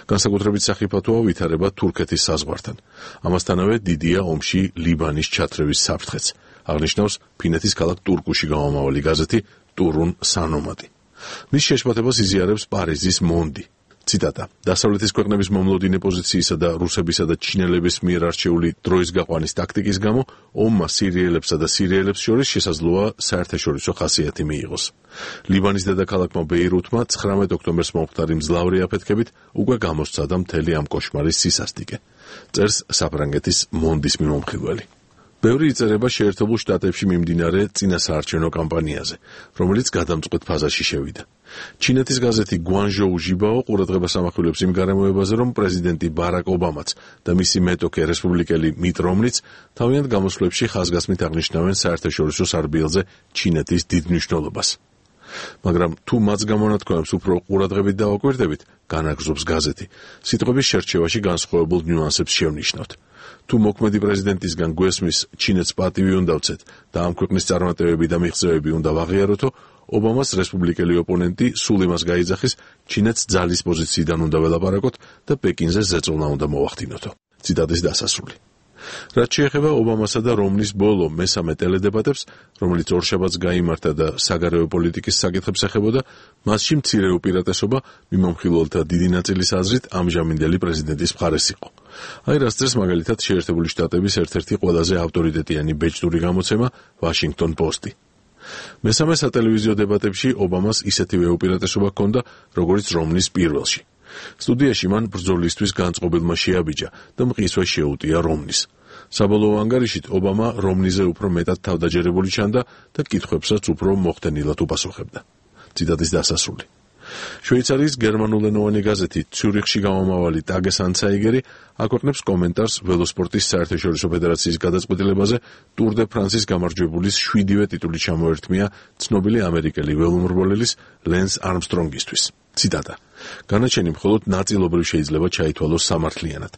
განსაკუთრებით სახიფათოა ვითარება თურქეთის საზღვართან. ამასთანავე დიდია ომში ლიბანის ჩათრევის საფრთხეც, აღნიშნავს ფინეთის ქალაქ ტურკუში გამომავალი გაზეთი ტურუნ სანომადი. მის შეშფოთებას იზიარებს პარიზის მონდი. ციტატა: დასავლეთის ქვეყნების მომლოდინე პოზიციისა და რუსებისა და ჩინელების მიერ არჩეული დროის გაყვანის ტაქტიკის გამო ომმა სირიელებსა და სირიელებს შორის შესაძლოა საერთაშორისო ხასიათი მიიღოს. ლიბანის დედაქალაქმა ბეირუთმა ცხრამეტ ოქტომბერს მომხდარი მძლავრი აფეთქებით უკვე გამოსცადა მთელი ამ კოშმარის სისასტიკე. წერს საფრანგეთის მონდის მიმომხილველი. ბევრი იწერება შეერთებულ შტატებში მიმდინარე წინასაარჩევნო კამპანიაზე, რომელიც გადამწყვეტ ფაზაში შევიდა. ჩინეთის გაზეთი გვანჟოუ ჟიბაო ყურადღებას ამახვილებს იმ გარემოებაზე, რომ პრეზიდენტი ბარაკ ობამაც და მისი მეტოქე რესპუბლიკელი მიტ რომნიც თავიანთ გამოსვლებში ხაზგასმით აღნიშნავენ საერთაშორისო სარბიელზე ჩინეთის დიდ მნიშვნელობას. მაგრამ თუ მათს გამონათქვამებს უფრო ყურადღებით დავაკვირდებით, განაგრძობს გაზეთი, სიტყვების შერჩევაში განსხვავებულ ნიუანსებს შევნიშნავთ. თუ მოქმედი პრეზიდენტისგან გვესმის ჩინეთს პატივი უნდა ვცეთ და ამ ქვეყნის წარმატებები და მიღწევები უნდა ვაღიაროთო, ობამას რესპუბლიკელი ოპონენტი სულ იმას გაიძახის, ჩინეთს ძალის პოზიციიდან უნდა ველაპარაკოთ და პეკინზე ზეწოლა უნდა მოვახდინოთო. ციტატის დასასრული. რაც შეეხება ობამასა და რომნის ბოლო მესამე ტელედებატებს, რომელიც ორშაბათს გაიმართა და საგარეო პოლიტიკის საკითხებს ეხებოდა, მასში მცირე უპირატესობა მიმომხილველთა დიდი ნაწილის აზრით ამჟამინდელი პრეზიდენტის მხარეს იყო. აი რას წერს მაგალითად შეერთებული შტატების ერთ-ერთი ყველაზე ავტორიტეტიანი ბეჭდური გამოცემა ვაშინგტონ პოსტი. მესამე სატელევიზიო დებატებში ობამას ისეთივე უპირატესობა ჰქონდა, როგორც რომნის პირველში. სტუდიაში მან ბრძოლისთვის განწყობილმა შეაბიჯა და მყისვე შეუტია რომნის. საბოლოო ანგარიშით ობამა რომნიზე უფრო მეტად თავდაჯერებული ჩანდა და კითხვებსაც უფრო მოხდენილად უპასუხებდა. ციტატის დასასრული. შვეიცარიის გერმანულენოვანი გაზეთი ციურიხში გამომავალი ტაგეს ანცაიგერი აქვეყნებს კომენტარს ველოსპორტის საერთაშორისო ფედერაციის გადაწყვეტილებაზე ტურ დე ფრანსის გამარჯვებულის შვიდივე ტიტული ჩამოერთმია ცნობილი ამერიკელი ველომრბოლელის ლენს არმსტრონგისთვის. ციტატა: განაჩენი მხოლოდ ნაწილობრივ შეიძლება ჩაითვალოს სამართლიანად.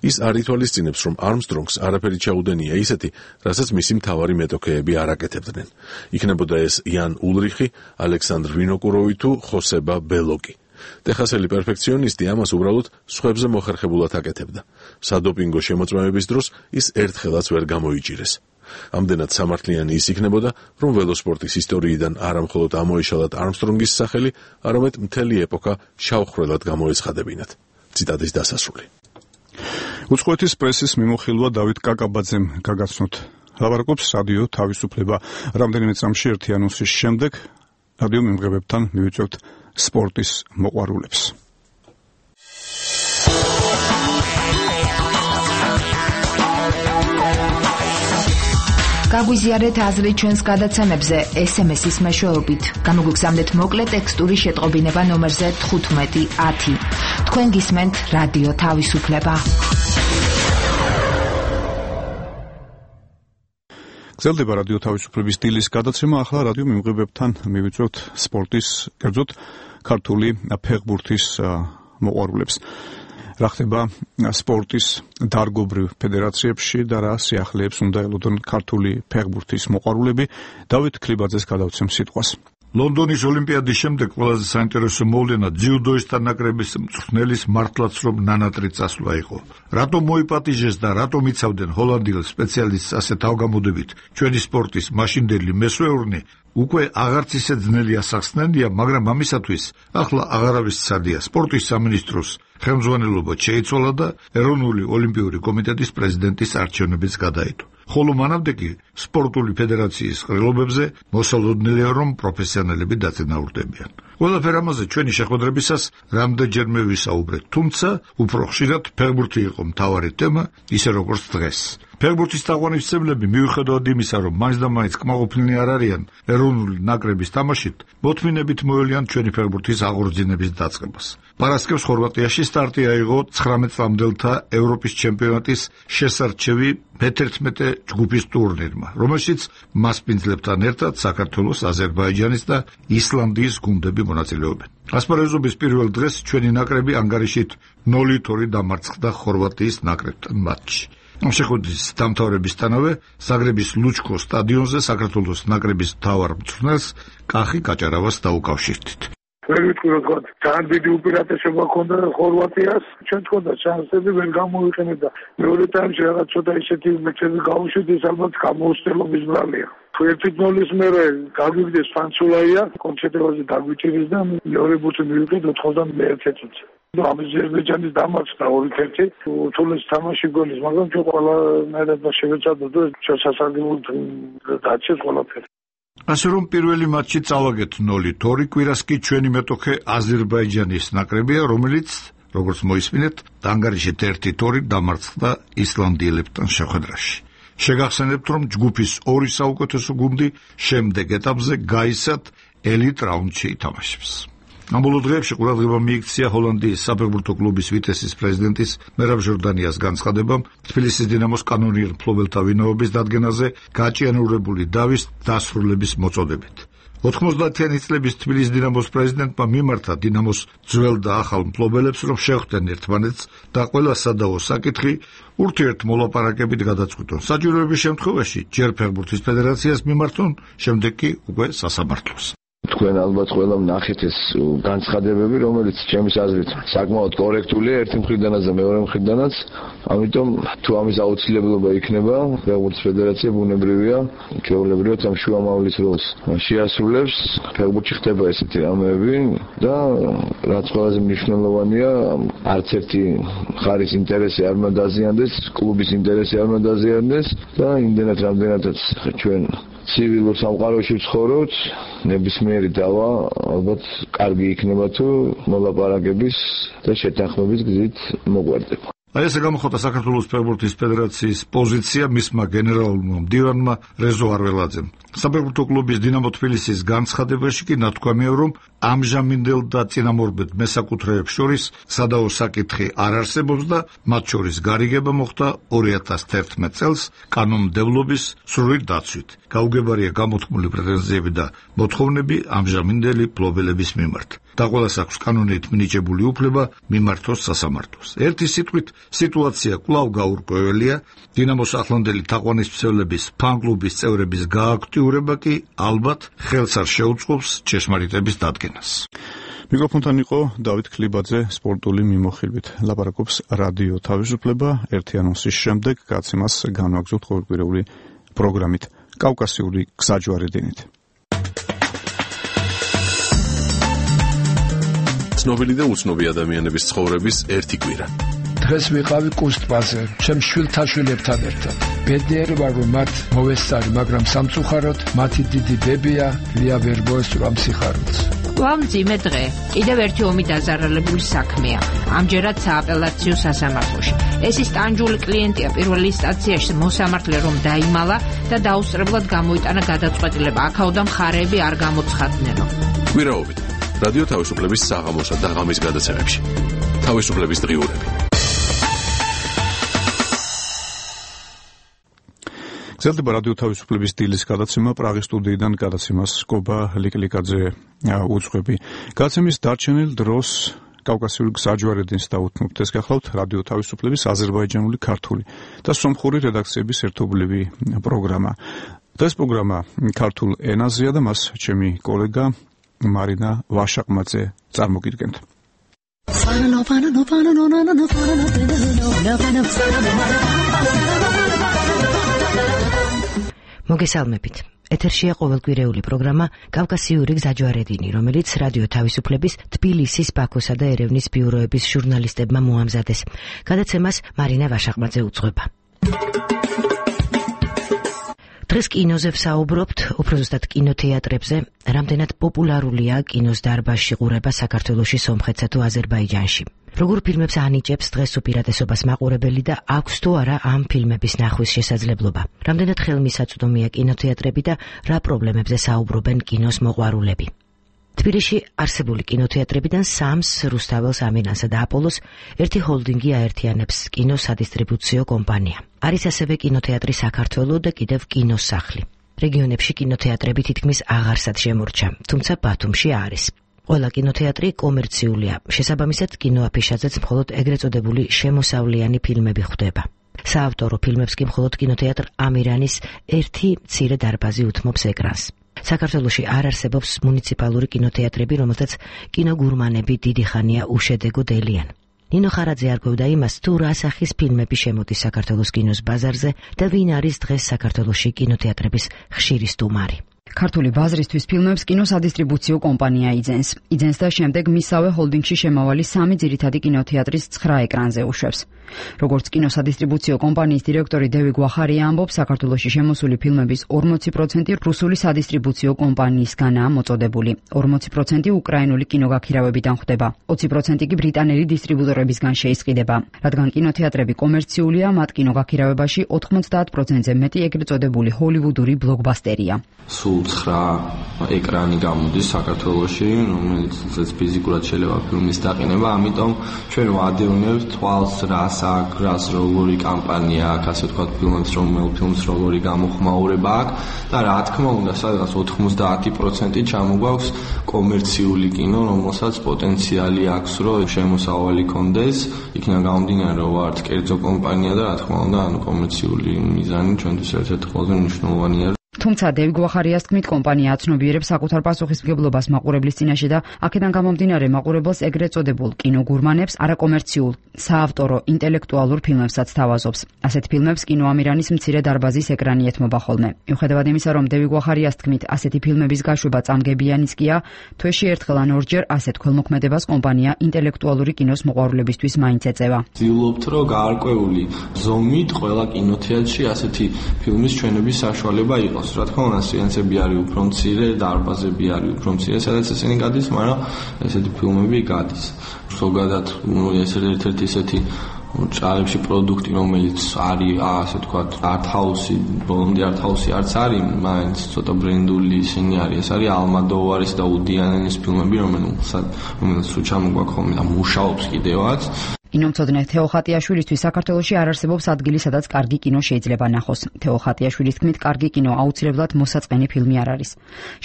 ის არ ითვალისწინებს, რომ არმსტრონგს არაფერი ჩაუდენია ისეთი, რასაც მისი მთავარი მეტოქეები არ აკეთებდნენ. იქნებოდა ეს იან ულრიხი, ალექსანდრ ვინოკუროვი თუ ხოსება ბელოკი. ტეხასელი პერფექციონისტი ამას უბრალოდ სხვებზე მოხერხებულად აკეთებდა. სადოპინგო შემოწმების დროს ის ერთხელაც ვერ გამოიჭირეს. ამდენად სამართლიანი ის იქნებოდა, რომ ველოსპორტის ისტორიიდან არა მხოლოდ ამოეშალათ არმსტრონგის სახელი, არამედ მთელი ეპოქა შავხრელად გამოეცხადებინათ. ციტატის დასასრული. უცხოეთის პრესის მიმოხილვა დავით კაკაბაძემ გაგაცნოთ. ლაპარაკობს რადიო თავისუფლება. რამდენიმე წამში ერთი ანონსის შემდეგ რადიო მიმღებებთან მივიწევთ სპორტის მოყვარულებს. გაგვიზიარეთ აზრი ჩვენს გადაცემებზე ეს ემ ეს-ის მეშვეობით. გამოგვიგზავნეთ მოკლე ტექსტური შეტყობინება ნომერზე თხუთმეტი ათი. თქვენ გისმენთ რადიო თავისუფლება. გრძელდება რადიო თავისუფლების დილის გადაცემა. ახლა რადიო მიმღებებთან მივიწევთ სპორტის, კერძოდ ქართული ფეხბურთის მოყვარულებს. რა ხდება სპორტის დარგობრივ ფედერაციებში და რა სიახლეებს უნდა ელოდონ ქართული ფეხბურთის მოყვარულები. დავით ქლიბაძეს გადავცემ სიტყვას. ლონდონის ოლიმპიადის შემდეგ ყველაზე საინტერესო მოვლენა ძიუდოისტთა ნაკრების მწვრთნელის მართლაც რომ ნანატრი წასვლა იყო. რატომ მოიპატიჟეს და რატომ იცავდნენ ჰოლანდიელ სპეციალისტს ასე თავგამოდებით ჩვენი სპორტის მაშინდელი მესვეურნი უკვე აღარც ისე ძნელი ასახსნენია, მაგრამ ამისათვის ახლა აღარავის ცადია. სპორტის სამინისტროს ხელმძღვანელობა შეიცვალა და ეროვნული ოლიმპიური კომიტეტის პრეზიდენტის არჩევნებიც გადაიდო. ხოლო მანამდე კი სპორტული ფედერაციის ყრილობებზე მოსალოდნელია, რომ პროფესიონალები დაწინაურდებიან. ყველაფერ ამაზე ჩვენი შეხვედრებისას რამდენჯერმე ვისაუბრეთ, თუმცა უფრო ხშირად ფეხბურთი იყო მთავარი თემა, ისე როგორც დღეს. ფეხბურთის თაყვანისმცემლები მიუხედავად იმისა, რომ მაინც და მაინც კმაყოფილნი არ არიან ეროვნული ნაკრების თამაშით, მოთმინებით მოელიან ჩვენი ფეხბურთის აღორძინების დაწყებას. პარასკევს ხორვატიაში სტარტი აიღო ცხრამეტ წლამდელთა ევროპის ჩემპიონატის შესარჩევი მეთერთმეტე ჯგუფის ტურნირმა, რომელშიც მასპინძლებთან ერთად საქართველოს, აზერბაიჯანის და ისლანდიის გუნდები მონაწილეობენ. ასპარეზობის პირველ დღეს ჩვენი ნაკრები ანგარიშით ნოლით ორი დამარცხდა ხორვატიის ნაკრებთან მატჩში. ამ შეხვედრის დამთავრებისთანავე ზაგრების ლუჩკო სტადიონზე საქართველოს ნაკრების მთავარ მწვრთნელს კახი კაჭარავას დაუკავშირდით. ვერ ვიტყვი რომ თქვა ძალიან დიდი უპირატესობა ჰქონდა ხორვატიას, ჩვენ თქონდა შანსები ვერ გამოვიყენებდა. მეორე ტაიმში რაღაც ცოტა ისეთი მეჩები გავუშვით, ეს ალბათ გამოუცდელობის ბრალია. ერთი ნულის მერე გაგვიგდეს ფანცულაია, კონცენტრაციაზე დაგვიჭირის და მეორე ბურთი მივიღეთ ოთხმოცდაერთი წუთში. აზერბაიჯანის დამარცხდა ორი ერთი, თულეს თამაში გოლის, მაგრამ ჩვენ ყველანაირად შევეცადოთ და ჩვენ სასარგებლოდ დაჩეს ყველაფერი. ასე რომ პირველი მატჩი წავაგეთ ნოლით. ორი კვირას კი ჩვენი მეტოქე აზერბაიჯანის ნაკრებია, რომელიც როგორც მოისმინეთ, ანგარიშით ერთი ორი დამარცხდა ისლანდიელებთან შეხვედრაში. შეგახსენებთ, რომ ჯგუფის ორი საუკეთესო გუნდი შემდეგ ეტაპზე გაისად ელიტ რაუნდში ითამაშებს. ამ ბოლო დღეებში ყურადღება მიიქცია ჰოლანდიის საფეხბურთო კლუბის ვიტესის პრეზიდენტის მერაბ ჟორდანიას განცხადებამ თბილისის დინამოს კანონიერ მფლობელთა ვინაობის დადგენაზე გაჭიანურებული დავის დასრულების მოწოდებით. ოთხმოცდაათიანი წლების თბილისის დინამოს პრეზიდენტმა მიმართა დინამოს ძველ და ახალ მფლობელებს, რომ შეხვდნენ ერთმანეთს და ყველა სადავო საკითხი ურთიერთმოლაპარაკებით გადაწყვიტონ. საჭიროების შემთხვევაში ჯერ ფეხბურთის ფედერაციას მიმართონ, შემდეგ კი უკვე სასამართლოს. თქვენ ალბათ ყველა ნახეთ ეს განცხადებები, რომელიც ჩემის აზრით საკმაოდ კორექტულია ერთი მხრიდანაც და მეორე მხრიდანაც, ამიტომ თუ ამის აუცილებლობა იქნება, ფეხბურთის ფედერაცია ბუნებრივია, ჩვეულებრივად ამ შუამავლის როლს შეასრულებს. ფეხბურთში ხდება ესეთი რამეები და რაც ყველაზე მნიშვნელოვანია, არც ერთი მხარის ინტერესი არ უნდა დაზიანდეს, კლუბის ინტერესი არ უნდა დაზიანდეს და იმდენად რამდენადაც ჩვენ ცივილურ სამყაროში ვცხოვრობთ, ნებისმიერი დავა ალბათ კარგი იქნება თუ მოლაპარაკების და შეთანხმების გზით მოგვარდება. აი ესე გამოხატა საქართველოს ფეხბურთის ფედერაციის პოზიცია მისმა გენერალურმა მდივანმა რეზო არველაძემ. საფეხბურთო კლუბის დინამო თბილისის განცხადებაში კი ნათქვამია, რომ ამჟამინდელ და წინამორბედ მესაკუთრეებს შორის სადავო საკითხი არ არსებობს და მათ შორის გარიგება მოხდა ორი ათას თერთმეტ წელს კანონმდებლობის სრული დაცვით. გაუგებარია გამოთქმული პრეტენზიები და მოთხოვნები ამჟამინდელი მფლობელების მიმართ. და ყველას აქვს კანონით მინიჭებული უფლება მიმართოს სასამართლოს. ერთი სიტყვით, სიტუაცია კვლავ გაურკვეველია. დინამოს ახლანდელი თაყვანისმცემლების ფან-კლუბის წევრების გააქტიურება კი ალბათ ხელს არ შეუწყობს ჭეშმარიტების დადგენას. მიკროფონთან იყო დავით ქლიბაძე სპორტული მიმოხილვით. ლაპარაკობს რადიო თავისუფლება. ერთი ანონსის შემდეგ გაცემას განვაგრძობთ ყოველკვირეული პროგრამით კავკასიური გზაჯვარედინით. ცნობილი და უცნობი ადამიანების ცხოვრების ერთი კვირა. დღეს ვიყავი კუსტპაზე, ჩემ შვილთაშვილებთან ერთად. ბედნიერი ვარ, რომ მათ მოვესწარი, მაგრამ სამწუხაროდ მათი დიდი ბებია ლია ვერ მოესწრო ამ სიხარულს. ვამძიმე დღე. კიდევ ერთი ომი დაზარალებული საქმეა. ამჯერად სააპელაციო სასამართლოში. ეს ის ტანჯული კლიენტია პირველ ინსტანციაში მოსამართლე რომ დაიმალა და დაუსწრებლად გამოიტანა გადაწყვეტილება. აქაოდა მხარეები არ გამოცხადნენო. კვირაობით რადიო თავისუფლების საღამოსა და ღამის გადაცემებში. თავისუფლების დღიურები. გრძელდება რადიო თავისუფლების დილის გადაცემა. პრაღის სტუდიიდან გადაცემას კობა ლიკლიკაძე უძღვები. გადაცემის დარჩენილ დროს კავკასიური გზაჯვარედინს დაუთმობთ. ეს გახლავთ რადიო თავისუფლების აზერბაიჯანული ქართული და სომხური რედაქციების ერთობლივი პროგრამა. ეს პროგრამა ქართულ ენაზეა და მას ჩემი კოლეგა მარინა ვაშაყმაძე წარმოგიდგენთ. მოგესალმებით. ეთერშია ყოველკვირეული პროგრამა კავკასიური გზაჯვარედინი, რომელიც რადიო თავისუფლების თბილისის, ბაქოსა და ერევნის ბიუროების ჟურნალისტებმა მოამზადეს. გადაცემას მარინა ვაშაყმაძე უძღვება. დღეს კინოზე ვსაუბრობთ, უფრო ზუსტად კინოთეატრებზე, რამდენად პოპულარულია კინოს დარბაზში ყურება საქართველოში, სომხეთსა თუ აზერბაიჯანში. როგორ ფილმებს ანიჭებს დღეს უპირატესობას მაყურებელი და აქვს თუ არა ამ ფილმების ნახვის შესაძლებლობა. რამდენად ხელმისაწვდომია კინოთეატრები და რა პრობლემებზე საუბრობენ კინოს მოყვარულები. თბილისში არსებული კინოთეატრებიდან სამს, რუსთაველს, ამინანსა და აპოლოს, ერთი ჰოლდინგი აერთიანებს კინოს სადისტრიბუციო კომპანია. არის ასევე კინოთეატრი საქართველო და კიდევ კინოსახლი. რეგიონებში კინოთეატრები თითქმის აღარსად შემორჩა, თუმცა ბათუმში არის. ყველა კინოთეატრი კომერციულია, შესაბამისად კინოაფიშაზეც მხოლოდ ეგრეთ წოდებული შემოსავლიანი ფილმები ხვდება. საავტორო ფილმებს კი მხოლოდ კინოთეატრ ამირანის ერთი მცირე დარბაზი უთმობს ეკრანს. საქართველოში არ არსებობს მუნიციპალური კინოთეატრები, რომელთაც კინოგურმანები დიდი ხანია უშედეგო დელიან. ნინო ხარაძე არკვევდა იმას, თუ რა სახის ფილმები შემოდის საქართველოს კინოს ბაზარზე და ვინ არის დღეს საქართველოში კინოთეატრების ხშირი სტუმარი. ქართული ბაზრისთვის ფილმებს კინოსადისტრიბუციო კომპანია იძენს. იძენს და შემდეგ მისავე ჰოლდინგში შემავალი სამი ძირითადი კინოთეატრის ცხრა ეკრანზე უშვებს. როგორც კინოსადისტრიბუციო კომპანიის დირექტორი დევი გვახარია ამბობს, საქართველოში შემოსული ფილმების ორმოცი პროცენტი რუსული სადისტრიბუციო კომპანიისგანაა მოწოდებული. ორმოცი პროცენტი უკრაინული კინოგაქირავებიდან ხვდება. ოცი პროცენტი კი ბრიტანელი დისტრიბუტორებისგან შეისყიდება. რადგან კინოთეატრები კომერციულია, მათ კინოგაქირავებაში ოთხმოცდაათ პროცენტზე მეტი ეგრეთ წოდებული ჰოლივუდური ბლოკბასტერია. სულ ცხრა ეკრანი გამოდის საქართველოში, რომელიც ფიზიკურად შეიძლება ფილმის დაყენება, ამიტომ ჩვენ ვადევნებთ თვალს რას აქვს, რას როგორი კამპანია აქვს, ასე ვთქვათ, ფილმებს რომელ ფილმს როგორი გამოხმაურება აქვს და რა თქმა უნდა, სადღაც ოთხმოცდაათი პროცენტი ჩამოგვაქვს კომერციული კინო, რომელსაც პოტენციალი აქვს, რომ შემოსავალი კონდეს, იქნა გამომდინარე, რომ ვართ კერძო კომპანია და რა თქმა უნდა, ანუ კომერციული მიზანი ჩვენთვის ერთ-ერთი ყველაზე მნიშვნელოვანია. თუმცა დევი გვახარიას თქმით, კომპანია აცნობიერებს საკუთარ პასუხისმგებლობას მაყურებლის წინაშე და აქედან გამომდინარე მაყურებელს ეგრეთ წოდებულ კინოგურმანებს არაკომერციულ, საავტორო, ინტელექტუალურ ფილმებსაც თავაზობს. ასეთ ფილმებს კინოამირანის მცირე დარბაზის ეკრანი ეთმობა ხოლმე. მიუხედავად იმისა, რომ დევი გვახარიას თქმით, ასეთი ფილმების გაშვება წამგებიანიცკია, თვეში ერთხელ ან ორჯერ ასეთ ქველმოქმედებას კომპანია ინტელექტუალური კინოს მოყვარულებისთვის მაინც ეწევა. ვცდილობთ, რომ გაარკვეული ზომით ყველა კინოთეატრში ასეთი ფილმის ჩვენების საშუალება იყოს. რა თქმა უნდა, სეანსები არის უფრო მცირე, დარბაზები არის უფრო მცირე, სადაც ესენი გადის, მაგრამ ესეთი ფილმები გადის. ზოგადად, ეს ერთ-ერთი ესეთი ჭარებში პროდუქტი, რომელიც არის, ასე ვთქვათ, არტ-ჰაუსი, ბოლომდე არტ-ჰაუსი არც არის, მაინც ცოტა ბრენდული ისინი არის. ეს არის ალმადოვარის და უდი ალენის ფილმები, რომელსაც რომელსაც სულ ჩამოგვაქვს ხოლმე და მუშაობს კიდევაც. კინომცოდნე თეო ხატიაშვილისთვის საქართველოში არ არსებობს ადგილი, სადაც კარგი კინო შეიძლება ნახოს. თეო ხატიაშვილის თქმით, კარგი კინო აუცილებლად მოსაწყენი ფილმი არ არის.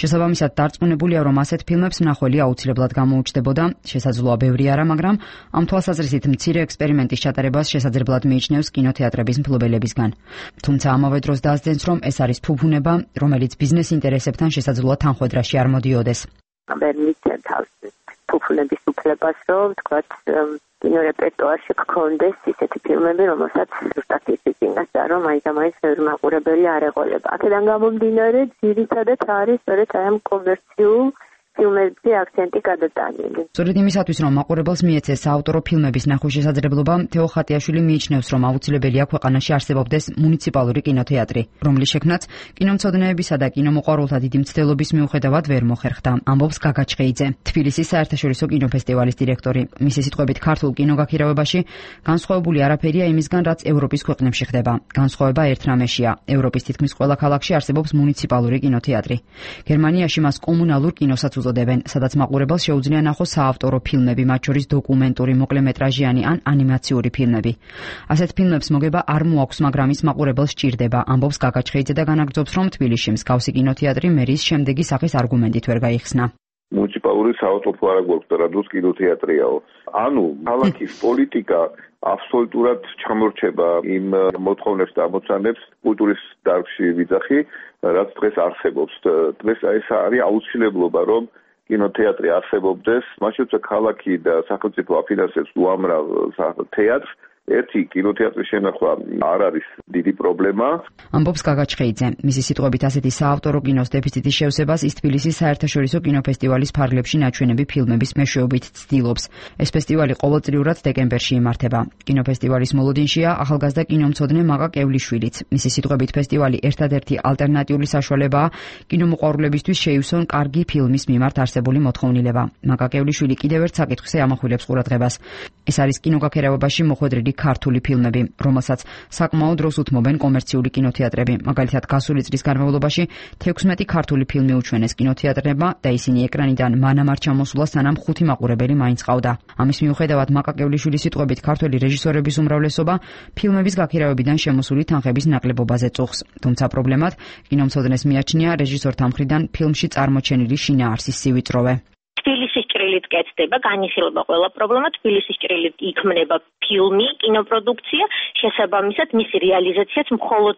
შესაბამისად, დარწმუნებულია, რომ ასეთ ფილმებს მნახველი აუცილებლად გამოუჩნდებოდა. შესაძლოა ბევრი არა, მაგრამ ამ თვალსაზრისით მცირე ექსპერიმენტის ჩატარებას შესაძლებლად მიიჩნევს კინოთეატრების მფლობელებისგან. თუმცა ამავე დროს დაასძენს, რომ ეს არის ფუფუნება, რომელიც ბიზნეს ინტერესებთან შესაძლოა თანხვედრაში არ მოდიოდეს. ვერ მიცემ თავს ფუფუნების უფლებას, რომ ვთქვათ, კინორეპერტუარში გქონდეს ისეთი ფილმები, რომელსაც ზუსტად ისიც ინგასა, რომ აი და მაინც ბევრი მაყურებელი არ ეყოლება. აქედან გამომდინარე, ძირითადად არის სწორედ აი ამ კომერციულ ფილმებზე აქცენტი გადატანილი. სწორედ იმისათვის, რომ მაყურებელს მიეცეს საავტორო ფილმების ნახვის შესაძლებლობა, თეო ხატიაშვილი მიიჩნევს, რომ აუცილებელია ქვეყანაში არსებობდეს მუნიციპალური კინოთეატრი, რომლის შექმნაც კინომცოდნეებისა და კინომოყვარულთა დიდი მცდელობის მიუხედავად ვერ მოხერხდა, ამბობს გაგა ჩხეიძე, თბილისის საერთაშორისო კინოფესტივალის დირექტორი. მისი სიტყვებით, ქართულ კინოგაქირავებაში განსხვავებული არაფერია იმისგან, რაც ევროპის ქვეყნებში ხდება. განსხვავება ერთ რამეშია. ევროპის თითქმის ყველა ქალაქში არსებობს მუნიციპალური კინოთეატრი. გერმანიაში მას კომუნალურ კინოსაც უწოდებენ, სადაც მაყურებელს შეუძლია ნახოს საავტორო ფილმები, მათ შორის დოკუმენტური, მოკლემეტრაჟიანი ან ანიმაციური ფილმები. ასეთ ფილმებს მოგება არ მოაქვს, მაგრამ ის მაყურებელს სჭირდება, ამბობს გაგა ჩხეიძე და განაგრძობს, რომ თბილისში მსგავსი კინოთეატრი მერის შემდეგი სახის არგუმენტით ვერ გაიხსნა. მუნიციპალური საავტორო არ გვაქვს და რადოს კინოთეატრიაო. ანუ ქალაქის პოლიტიკა აბსოლუტურად ჩამორჩება იმ მოთხოვნებს და ამოცანებს კულტურის დარგში ვიძახი, რაც დღეს არსებობს. დღეს ეს არის აუცილებლობა, რომ კინოთეატრი არსებობდეს, მათ შორის ქალაქი და სახელმწიფო აფინანსებს უამრავ თეატრს. ერთი კინოთეატრის შენახვა არ არის დიდი პრობლემა. ამბობს გაგა ჩხეიძე. მისი სიტყვებით, ასეთი საავტორო კინოს დეფიციტის შევსებას ის თბილისის საერთაშორისო კინოფესტივალის ფარგლებში ნაჩვენები ფილმების მეშვეობით ცდილობს. ეს ფესტივალი ყოველწლიურად დეკემბერში იმართება. კინოფესტივალის მოლოდინშია ახალგაზრდა კინომცოდნე მაღა კევლიშვილიც. მისი სიტყვებით, ფესტივალი ერთადერთი ალტერნატიული საშუალებაა კინომოყვარულებისთვის შეივსონ კარგი ფილმის მიმართ არსებული მოთხოვნილება. მაღა კევლიშვილი კიდევ ერთ საკითხზე ამახვილებს ყურადღებას. ეს არის კინოგაქირავებაში მოხვედრილი ქართული ფილმები, რომელსაც საკმაოდ დროს უთმობენ კომერციული კინოთეატრები. მაგალითად, გასული წლის განმავლობაში თექვსმეტი ქართული ფილმი უჩვენეს კინოთეატრებმა და ისინი ეკრანიდან მანამ არ ჩამოსულა, სანამ ხუთი მაყურებელი მაინც ყავდა. ამის მიუხედავად, მაკა კევლიშვილის სიტყვებით, ქართველი რეჟისორების უმრავლესობა ფილმების გაქირავებიდან შემოსული თანხების ნაკლებობაზე წუხს. თუმცა პრობლემად კინომცოდნეს მიაჩნია რეჟისორთა მხრიდან ფილმში წარმოჩენილი შინაარსის სივიწროვე. თბილისის ჭრილით კეთდება, განიხილება ყველა პრობლემა, თბილისის ჭრილით იქმნება ფილმი, კინოპროდუქცია, შესაბამისად მისი რეალიზაციაც მხოლოდ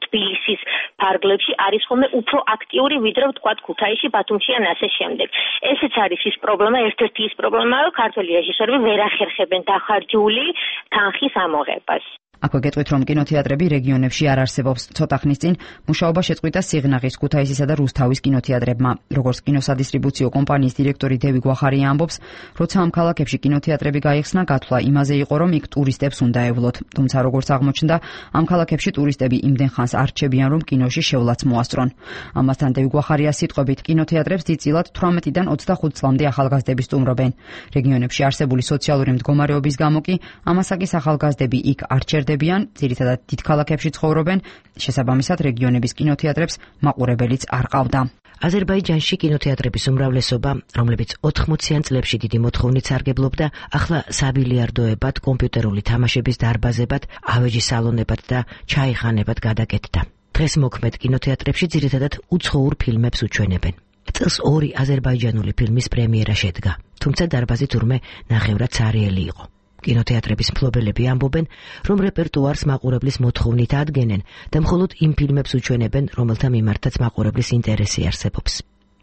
თბილისის ფარგლებში არის ხოლმე უფრო აქტიური, ვიდრე ვთქვათ ქუთაისში, ბათუმში ან ასე შემდეგ. ესეც არის ის პრობლემა, ერთ-ერთი ის პრობლემაა, რომ ქართველი რეჟისორები ვერ ახერხებენ დახარჯული თანხის ამოღებას. აქვე გეტყვით, რომ კინოთეატრები რეგიონებში არ არსებობს. ცოტა ხნის წინ მუშაობა შეწყვიტა სიღნაღის, ქუთაისისა და რუსთავის კინოთეატრებმა. როგორც კინოსადისტრიბუციო კომპანიის დირექტორი დევი გვახარია ამბობს, როცა ამ ქალაქებში კინოთეატრები გაიხსნა, გათვლა იმაზე იყო, რომ იქ ტურისტებს უნდა ევლოთ. თუმცა როგორც აღმოჩნდა, ამ ქალაქებში ტურისტები იმდენ ხანს არ რჩებიან, რომ კინოში შევლაც მოასწრონ. ამასთან დევი გვახარია სიტყვებით, კინოთეატრებს დიდწილად თვრამეტიდან ოცდახუთ წლამდე ახალგაზრდები სტუმრობენ. რეგიონებში არსებული სოციალური მდგომარეობის გამო კი ამასაკის ახალგაზრდები იქ არ დებიან, ძირითადად დიდ ქალაქებში ცხოვრობენ, შესაბამისად რეგიონების კინოთეატრებს მაყურებელიც არ ყავდა. აზერბაიჯანში კინოთეატრების უმრავლესობა, რომლებიც ოთხმოციან წლებში დიდი მოთხოვნით სარგებლობდა, ახლა საბილიარდოებად, კომპიუტერული თამაშების დარბაზებად, ავეჯის სალონებად და ჩაიხანებად გადაკეთდა. დღეს მოქმედ კინოთეატრებში ძირითადად უცხოურ ფილმებს უჩვენებენ. წელს ორი აზერბაიჯანული ფილმის პრემიერა შედგა, თუმცა დარბაზი თურმე ნახევრად ცარიელი იყო. კინოთეატრების მფლობელები ამბობენ, რომ რეპერტუარს მაყურებლის მოთხოვნით ადგენენ და მხოლოდ იმ ფილმებს უჩვენებენ, რომელთა მიმართაც მაყურებლის ინტერესი არსებობს.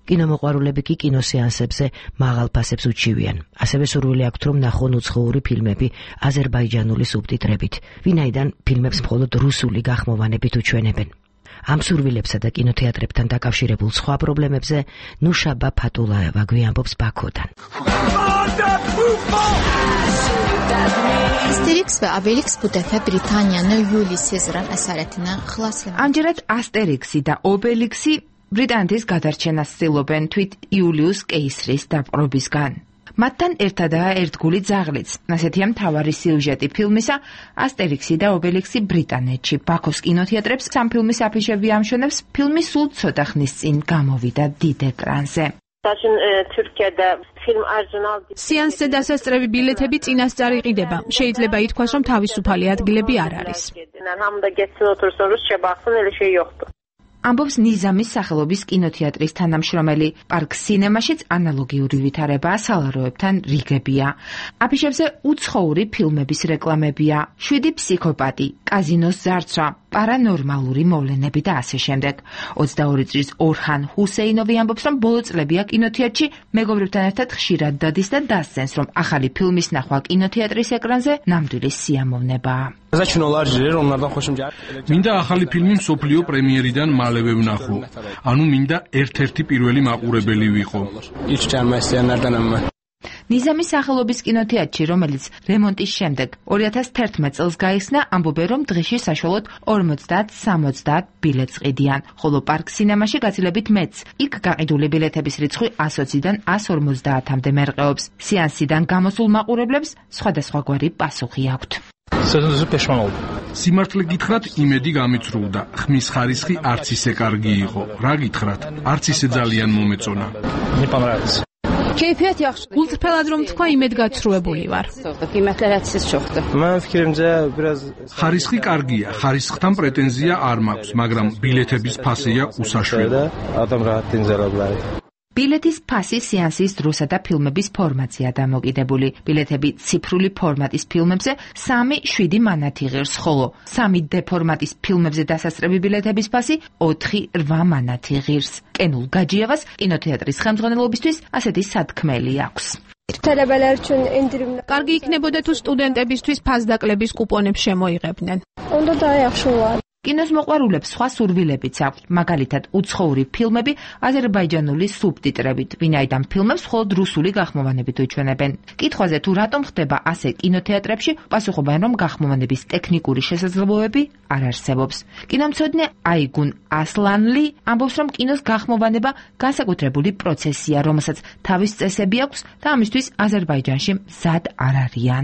კინომოყვარულები კი კინოსეანსებზე მაღალ ფასებს უჩივიან. ასევე სურვილი აქვთ, რომ ნახონ უცხოური ფილმები აზერბაიჯანული სუბტიტრებით, ვინაიდან ფილმებს მხოლოდ რუსული გახმოვანებით უჩვენებენ. ამ სურვილებსა და კინოთეატრებთან დაკავშირებულ სხვა პრობლემებზე ნუშაბა ფატულაევა გვიამბობს ბაქოდან. Asterix və Obelix bu dəfə Britaniyanı Yuli Sezran əsarətinə xilas etdi. Ამჯერად Asterix-ი და Obelix-ი ბრიტანეთის გადარჩენას ცდილობენ თვით იულიუს კეისრის დაპყრობისგან. მათთან ერთადაა ერთგული ძაღლიც. ასეთია მთავარი სიუჟეტი ფილმისა Asterix-ი და Obelix-ი ბრიტანეთში. ბაქოს კინოთეატრებს სამ ფილმის აფიშები ამშვენებს. ფილმი სულ ცოტა ხნის წინ გამოვიდა დიდ ეკრანზე. თურქიადა ფილმ არჟუნალ სეანსზე დასასწრები ბილეთები წინასწარ იყიდება. შეიძლება ითქვას, რომ თავისუფალი ადგილები არ არის. ამბობს ნიზამის სახელობის კინოთეატრის თანამშრომელი. პარკ სინემაშიც ანალოგიური ვითარებაა სალაროებთან რიგებია. აფიშებზე უცხოური ფილმების რეკლამებია. შვიდი ფსიქოპატი, კაზინოს ზარცვა, პარანორმალური მოვლენები და ასე შემდეგ. ოცდაორი წლის ორჰან ჰუსეინოვი ამბობს, რომ ბოლო წლებია კინოთეატრში მეგობრებთან ერთად ხშირად დადის და დასცენს, რომ ახალი ფილმის ნახვა კინოთეატრის ეკრანზე ნამდვილი სიამოვნებაა. მინდა ახალი ფილმი მსოფლიო პრემიერიდან მალევე ვნახო. ანუ მინდა ერთ-ერთი პირველი მაყურებელი ვიყო. ნიზამის სახელობის კინოთეატრში, რომელიც რემონტის შემდეგ ორი ათას თერთმეტ წელს გაიხსნა, ამბობენ, რომ დღეში საშუალოდ ორმოცდაათ სამოცდაათ ბილეთს ყიდიან, ხოლო პარკ სინემაში გაცილებით მეც. იქ გაყიდული ბილეთების რიცხვი ასოციდან ას ორმოცდაათამდე მერყეობს. სეანსიდან გამოსულ მაყურებლებს სხვადასხვაგვარი პასუხი აქვთ. სიმართლე გითხრათ, იმედი გამიცრუდა. ხმის ხარისხი არც ისე კარგი იყო. რა გითხრათ, არც ისე ძალიან მომეწონა. კეიფიათი ახშ. ულტრფელად რომ თქვა, იმედგაცრუებული ვარ. ხარისხი კარგია, ხარისხთან პრეტენზია არ მაქვს, მაგრამ ბილეთების ფასია უსაშველი. ბილეთის ფასი სეანსის დროსა და ფილმების ფორმატზეა დამოკიდებული. ბილეთები ციფრული ფორმატის ფილმებზე სამი შვიდი მანათი ღირს, ხოლო სამი დე ფორმატის ფილმებზე დასასწრები ბილეთების ფასი ოთხი რვა მანათი ღირს. კენულ გაჯიევას კინოთეატრის ხელმძღვანელობისთვის ასეთი სათქმელი აქვს. კარგი იქნებოდა თუ სტუდენტებისთვის ფასდაკლების კუპონებს შემოიღებდნენ. კინოს მოყვარულებს სხვა სურვილებიც აქვთ, მაგალითად უცხოური ფილმები აზერბაიჯანული სუბტიტრებით, ვინაიდან ფილმებს მხოლოდ რუსული გახმოვანებით უჩვენებენ. კითხვაზე თუ რატომ ხდება ასე კინოთეატრებში, პასუხობენ, რომ გახმოვანების ტექნიკური შესაძლებლობები არ არსებობს. კინომცოდნე აიგուն ასლანლი ამბობს, რომ კინოს გახმოვანება განსაკუთრებული პროცესია, რომელსაც თავის წესები აქვს და ამისთვის აზერბაიჯანში მზად არ არიან.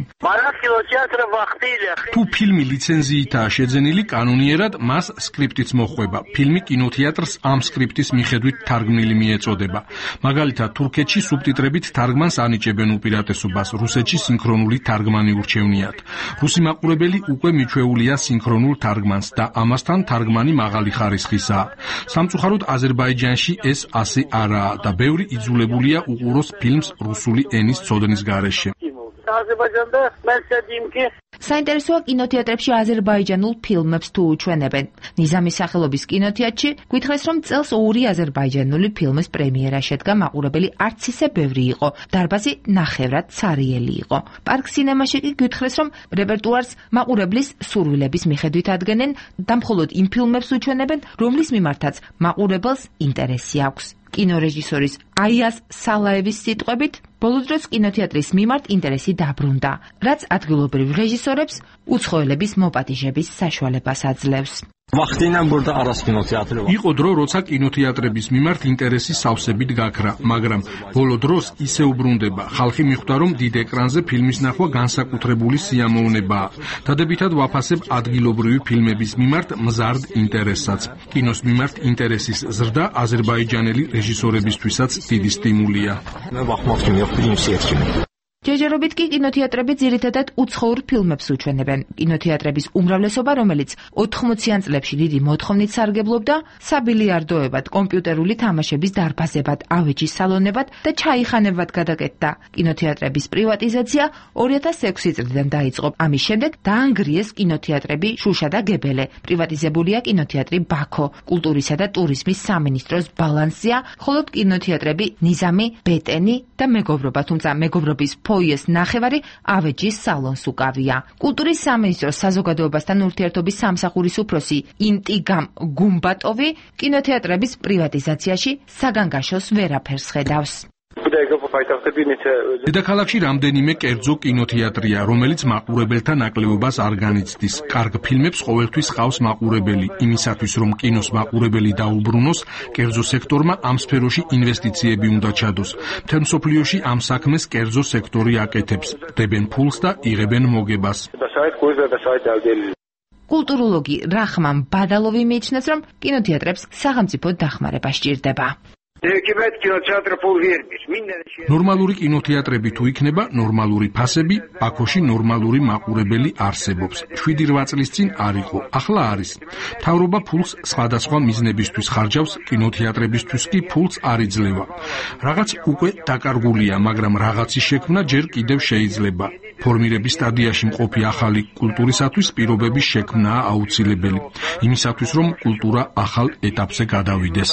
თუ ფილმი ლიცენზიითაა შეძენილი, კანონიერად ძირითადად მას სკრიპტიც მოხვება. ფილმი კინოთეატრს ამ სკრიპტის მიხედვით თარგმნილი მიეწოდება. მაგალითად, თურქეთში სუბტიტრებით თარგმანს ანიჭებენ უპირატესობას, რუსეთში სინქრონული თარგმანი ურჩევნიათ. რუსი მაყურებელი უკვე მიჩვეულია სინქრონულ თარგმანს და ამასთან თარგმანი მაღალი ხარისხისაა. სამწუხაროდ აზერბაიჯანში ეს ასე არაა და ბევრი იძულებულია უყუროს ფილმს რუსული ენის ცოდნის გარეშე. საინტერესოა კინოთეატრებში აზერბაიჯანულ ფილმებს თუ უჩვენებენ. ნიზამის სახელობის კინოთეატრში გითხრეს, რომ წელს ორი აზერბაიჯანული ფილმის პრემიერა შედგა, მაყურებელი არც ისე ბევრი იყო. დარბაზი ნახევრად ცარიელი იყო. პარკ სინემაში კი გითხრეს, რომ რეპერტუარს მაყურებლის სურვილების მიხედვით ადგენენ და მხოლოდ იმ ფილმებს უჩვენებენ, რომლის მიმართაც მაყურებელს ინტერესი აქვს. კინორეჟისორის აიას სალაევის სიტყვებით, ბოლო დროს კინოთეატრის მიმართ ინტერესი დაბრუნდა, რაც ადგილობრივ რეჟისორებს უცხოელების მოპატიჟების საშუალებას აძლევს. იყო დრო, როცა კინოთეატრების მიმართ ინტერესი სავსებით გაქრა, მაგრამ ბოლო დროს ისე უბრუნდება. ხალხი მიხვდა, რომ დიდ ეკრანზე ფილმის ნახვა განსაკუთრებული სიამოვნებაა. დადებითად ვაფასებ ადგილობრივი ფილმების მიმართ მზარდ ინტერესსაც. კინოს მიმართ ინტერესის ზრდა აზერბაიჯანელი რეჟისორებისთვისაც დიდი სტიმულია. ჯერჯერობით კი კინოთეატრები ძირითადად უცხოურ ფილმებს უჩვენებენ. კინოთეატრების უმრავლესობა, რომელიც ოთხმოციან წლებში დიდი მოთხოვნით სარგებლობდა, საბილიარდოებად, კომპიუტერული თამაშების დარბაზებად, ავეჯის სალონებად და ჩაიხანებად გადაკეთდა. კინოთეატრების პრივატიზაცია ორი ათას ექვსი წლიდან დაიწყო. ამის შემდეგ დაანგრიეს კინოთეატრები შუშა და გებელე. პრივატიზებულია კინოთეატრი ბაქო, კულტურისა და ტურიზმის სამინისტროს ბალანსია, ხოლო კინოთეატრები ნიზამი, ბეტენი და მეგობრობა, თუმცა მეგობრობის ფოიეს ნახევარი ავეჯის სალონს უკავია. კულტურის სამინისტროს საზოგადოებასთან ურთიერთობის სამსახურის უფროსი ინტიგამ გუმბატოვი კინოთეატრების პრივატიზაციაში საგანგაშოს ვერაფერს ხედავს. დედაქალაქში რამდენიმე კერძო კინოთეატრია, რომელიც მაყურებელთა ნაკლებობას არ განიცდის. კარგ ფილმებს ყოველთვის ყავს მაყურებელი. იმისათვის, რომ კინოს მაყურებელი დაუბრუნოს, კერძო სექტორმა ამ სფეროში ინვესტიციები უნდა ჩადოს. მთელ მსოფლიოში ამ საქმეს კერძო სექტორი აკეთებს. დებენ ფულს და იღებენ მოგებას. კულტუროლოგი რახმან ბადალოვი მიიჩნევს, რომ კინოთეატრებს სახელმწიფო დახმარება სჭირდება. ნორმალური კინოთეატრები თუ იქნება, ნორმალური ფასები, ბაქოში ნორმალური მაყურებელი არსებობს. შვიდი რვა წლის წინ არ იყო, ახლა არის. მთავრობა ფულს სხვადასხვა მიზნებისთვის ხარჯავს, კინოთეატრებისთვის კი ფულს არ იძლევა. რაღაც უკვე დაკარგულია, მაგრამ რაღაცის შექმნა ჯერ კიდევ შეიძლება. ფორმირების სტადიაში მყოფი ახალი კულტურისათვის პირობების შექმნაა აუცილებელი. იმისათვის, რომ კულტურა ახალ ეტაპზე გადავიდეს.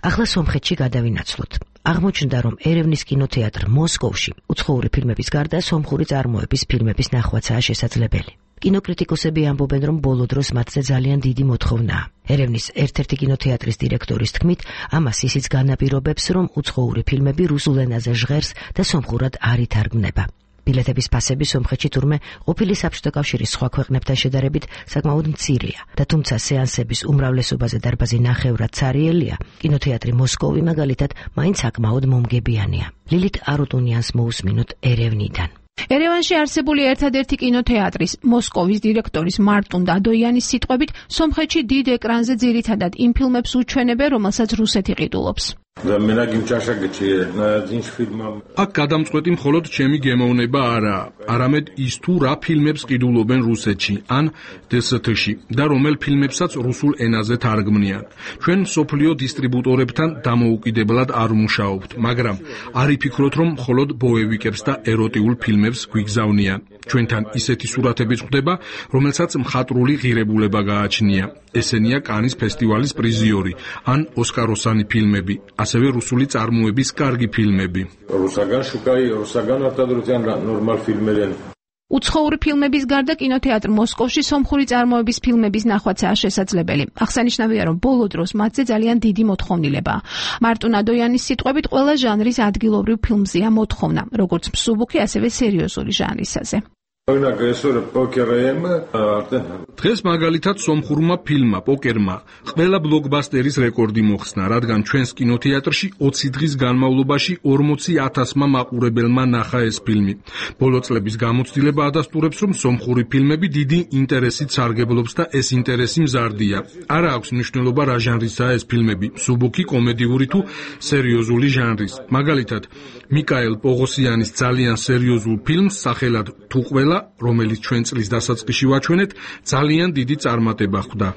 ახლა სომხეთში გადავინაცვლოთ. აღმოჩნდა, რომ ერევნის კინოთეატრ მოსკოვში უცხოური ფილმების გარდა სომხური წარმოების ფილმების ნახვაცაა შესაძლებელი. კინოკრიტიკოსები ამბობენ, რომ ბოლო დროს მათზე ძალიან დიდი მოთხოვნაა. ერევნის ერთ-ერთი კინოთეატრის დირექტორის თქმით, ამას ისიც განაპირობებს, რომ უცხოური ფილმები რუსულ ენაზე ჟღერს და სომხურად არ ითარგმნება. ბილეთების ფასები სომხეთში თურმე ყოფილი საბჭოთა კავშირის სხვა ქვეყნებთან შედარებით საკმაოდ მცირეა და თუმცა სეანსების უმრავლესობაზე დარბაზი ნახევრად ცარიელია, კინოთეატრი მოსკოვი მაგალითად მაინც საკმაოდ მომგებიანია. ლილით არუტუნიანს მოусმინოთ ერევნიდან. ერევანში არსებული ერთადერთი კინოთეატრის მოსკოვის დირექტორის მარტუნ დადოიანის სიტყვებით, სომხეთში დიდ ეკრანზე ძირითადად იმ ფილმებს უჩვენებენ, რომელსაც რუსეთი ყიდულობს. აქ გადამწყვეტი მხოლოდ ჩემი გემოვნება არაა, არამედ ის თუ რა ფილმებს ყიდულობენ რუსეთში ან დე ეს თე-ში და რომელ ფილმებსაც რუსულ ენაზე თარგმნიან. ჩვენ სოფლიო დისტრიბუტორებთან დამოუკიდებლად არ ვმუშაობთ, მაგრამ არ იფიქროთ, რომ მხოლოდ ბოევიკებს და ეროტიულ ფილმებს გვიგზავნიან. ჩვენთან ისეთი სურათებიც ხვდება, რომელსაც მხატვრული ღირებულება გააჩნია. ესენია კანის ფესტივალის პრიზიორი ან ოსკაროსანი ფილმები, ასევე რუსული წარმოების კარგი ფილმები. რუსაგან შუკაი, რუსაგან արտադրության ნორმალ ფილმერენ. უცხოური ფილმების გარდა კინოთეატრ მოსკოვში სომხური წარმოების ფილმების ნახვაცაა შესაძლებელი. აღსანიშნავია, რომ ბოლო დროს მათზე ძალიან დიდი მოთხოვნილებაა. მარტუნ დადოიანის სიტყვებით, ყველა ჟანრის ადგილობრივ ფილმზეა მოთხოვნა, როგორც მსუბუქი, ასევე სერიოზული ჟანრისაზე. დღეს მაგალითად სომხურმა ფილმმა პოკერმა ყველა ბლოკბასტერის რეკორდი მოხსნა, რადგან ჩვენს კინოთეატრში ოცი დღის განმავლობაში ორმოცი ათასმა მაყურებელმა ნახა ეს ფილმი. ბოლო წლების გამოცდილება ადასტურებს, რომ სომხური ფილმები დიდი ინტერესით სარგებლობს და ეს ინტერესი მზარდია. არა აქვს მნიშვნელობა რა ჟანრისაა ეს ფილმები, მსუბუქი, კომედიური თუ სერიოზული ჟანრის. მაგალითად, მიკაელ პოღოსიანის ძალიან სერიოზულ ფილმს სახელად თუ ყველა, რომელიც ჩვენ წლის დასაწყისში ვაჩვენეთ, ძალიან დიდი წარმატება ხვდა.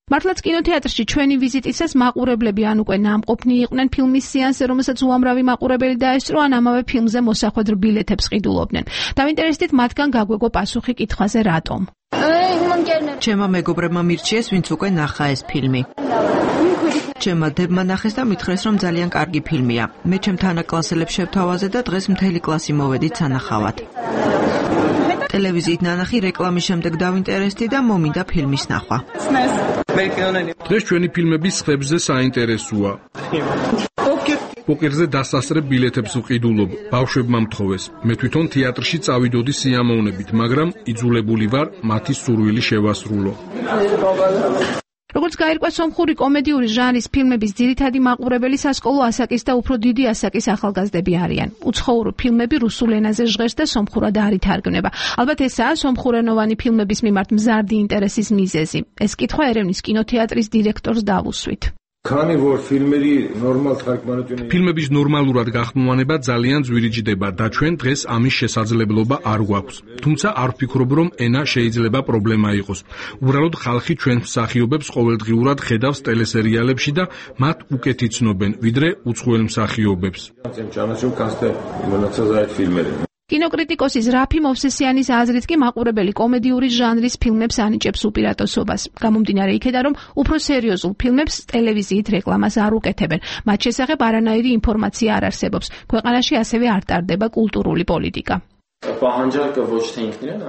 მართლაც კინოთეატრში ჩვენი ვიზიტისას მაყურებლები ან უკვე ნამყოფნი იყვნენ ფილმის სეანსზე, რომელსაც უამრავი მაყურებელი დაესწრო, ან ამავე ფილმზე მოსახვედრ ბილეთებს ყიდულობდნენ. დავინტერესდით მათგან გაგვეგო პასუხი კითხვაზე რატომ. ჩემმა მეგობრებმა მირჩიეს, ვინც უკვე ნახა ეს ფილმი. ჩემმა დებმა ნახეს და მითხრეს, რომ ძალიან კარგი ფილმია. მე ჩემ თანაკლასელებს შევთავაზე და დღეს მთელი კლასი მოვედით სანახავად. ტელევიზიით ნანახი რეკლამის შემდეგ დავინტერესდი და მომინდა ფილმის ნახვა. დღეს ჩვენი ფილმების ხებზე საინტერესოა. პოკერზე დასასწრებ ბილეთებს ვყიდულობ, ბავშვებმა მთხოვეს. მე თვითონ თეატრში წავიდოდი სიამოვნებით, მაგრამ იძულებული ვარ მათი სურვილი შევასრულო. როგორც გაირკვა, სომხური კომედიური ჟანრის ფილმების ძირითადი მაყურებელი სასკოლო ასაკის და უფრო დიდი ასაკის ახალგაზრდები არიან. უცხოური ფილმები რუსულ ენაზე ჟღერს და სომხურად არ ითარგმნება. ალბათ ესაა სომხურენოვანი ფილმების მიმართ მზარდი ინტერესის მიზეზი. ეს კითხვა ერევნის კინოთეატრის დირექტორს დავუსვით. ფილმების ნორმალურად გახმოვანება ძალიან ძვირიჯდება და ჩვენ დღეს ამის შესაძლებლობა არ გვაქვს. თუმცა არ ვფიქრობ, რომ ენა შეიძლება პრობლემა იყოს. უბრალოდ ხალხი ჩვენს მსახიობებს ყოველდღიურად ხედავს ტელესერიალებში და მათ უკეთ იცნობენ, ვიდრე უცხოელ მსახიობებს. კინოკრიტიკოსის რაფი მოვსესიანის აზრით კი მაყურებელი კომედიური ჟანრის ფილმებს ანიჭებს უპირატესობას. გამომდინარე იქედან, რომ უფრო სერიოზულ ფილმებს ტელევიზიით რეკლამას არ უკეთებენ. მათ შესახებ არანაირი ინფორმაცია არ არსებობს. ქვეყანაში ასევე არ ტარდება კულტურული პოლიტიკა.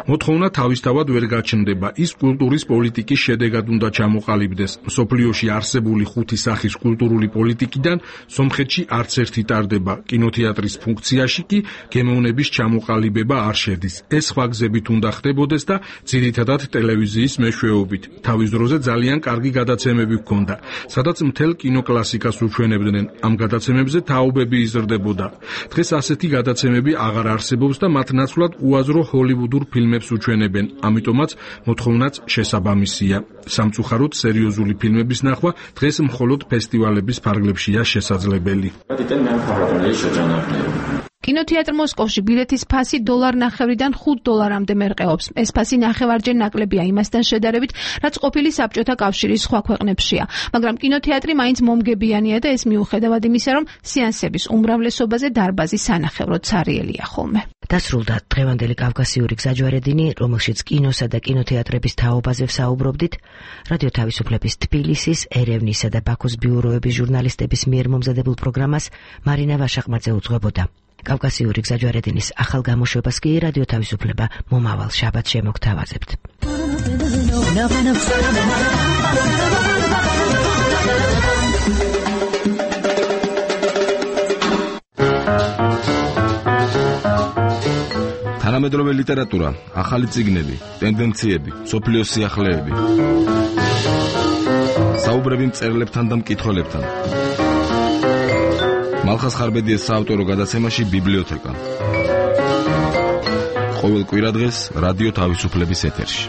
მოთხოვნა თავისთავად ვერ გაჩნდება. ის კულტურის პოლიტიკის შედეგად უნდა ჩამოყალიბდეს. მსოფლიოში არსებული ხუთი სახის კულტურული პოლიტიკიდან სომხეთში არც ერთი ტარდება. კინოთეატრის ფუნქციაში კი გემოვნების ჩამოყალიბება არ შედის. ეს სხვა გზებით უნდა ხდებოდეს და ძირითადად ტელევიზიის მეშვეობით. თავის დროზე ძალიან კარგი გადაცემები ჰქონდა, სადაც მთელ კინოკლასიკას უჩვენებდნენ. ამ გადაცემებზე თაობები იზრდებოდა. დღეს ასეთი გადაცემები აღარ არსებობს და მათ ნაცვლად უაზრო ჰოლივუდურ ფილმებს უჩვენებენ, ამიტომაც მოთხოვნაც შესაბამისია. სამწუხაროდ სერიოზული ფილმების ნახვა დღეს მხოლოდ ფესტივალების ფარგლებშია შესაძლებელი. კინოთეატრ მოსკოვში ბილეთის ფასი დოლარ ნახევრიდან ხუთ დოლარამდე მერყეობს. ეს ფასი ნახევარჯერ ნაკლებია იმასთან შედარებით, რაც ყოფილი საბჭოთა კავშირის სხვა ქვეყნებშია. მაგრამ კინოთეატრი მაინც მომგებიანია და ეს მიუხედავად იმისა, რომ სეანსების უმრავლესობაზე დარბაზი სანახევროდ ცარიელია ხოლმე. დასრულდა დღევანდელი კავკასიური გზაჯვარედინი, რომელშიც კინოსა და კინოთეატრების თაობაზე ვსაუბრობდით. რადიო თავისუფლების თბილისის, ერევნისა და ბაქოს ბიუროების ჟურნალისტების მიერ მომზადებულ პროგრამას მარინა ვაშაყმაძე უძღვებოდა. კავკასიური გზაჯვარედინის ახალ გამოშვებას კი რადიო თავისუფლება მომავალ შაბათს შემოგთავაზებთ. თანამედროვე ლიტერატურა, ახალი წიგნები, ტენდენციები, სოფლიოს სიახლეები. საუბრები მწერლებთან და მკითხველებთან. მალხას ხარბედიეს საავტორო გადაცემაში ბიბლიოთეკა. ყოველ კვირადღეს რადიო თავისუფლების ეთერში.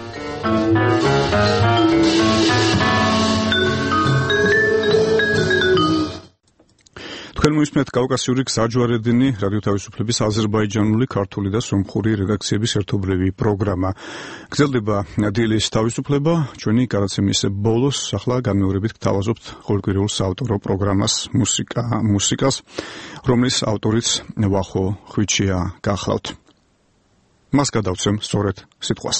თქვენ მოისმენთ კავკასიური გზაჯვარედინი, რადიო თავისუფლების აზერბაიჯანული, ქართული და სომხური რედაქციების ერთობლივი პროგრამა. გრძელდება დილის თავისუფლება, ჩვენი გადაცემის ბოლოს ახლა განმეორებით გთავაზობთ ყოველკვირეულ საავტორო პროგრამას, მუსიკა, მუსიკას, რომლის ავტორიც ვახო ხვიჩია გახლავთ. მას გადავცემ სწორედ სიტყვას.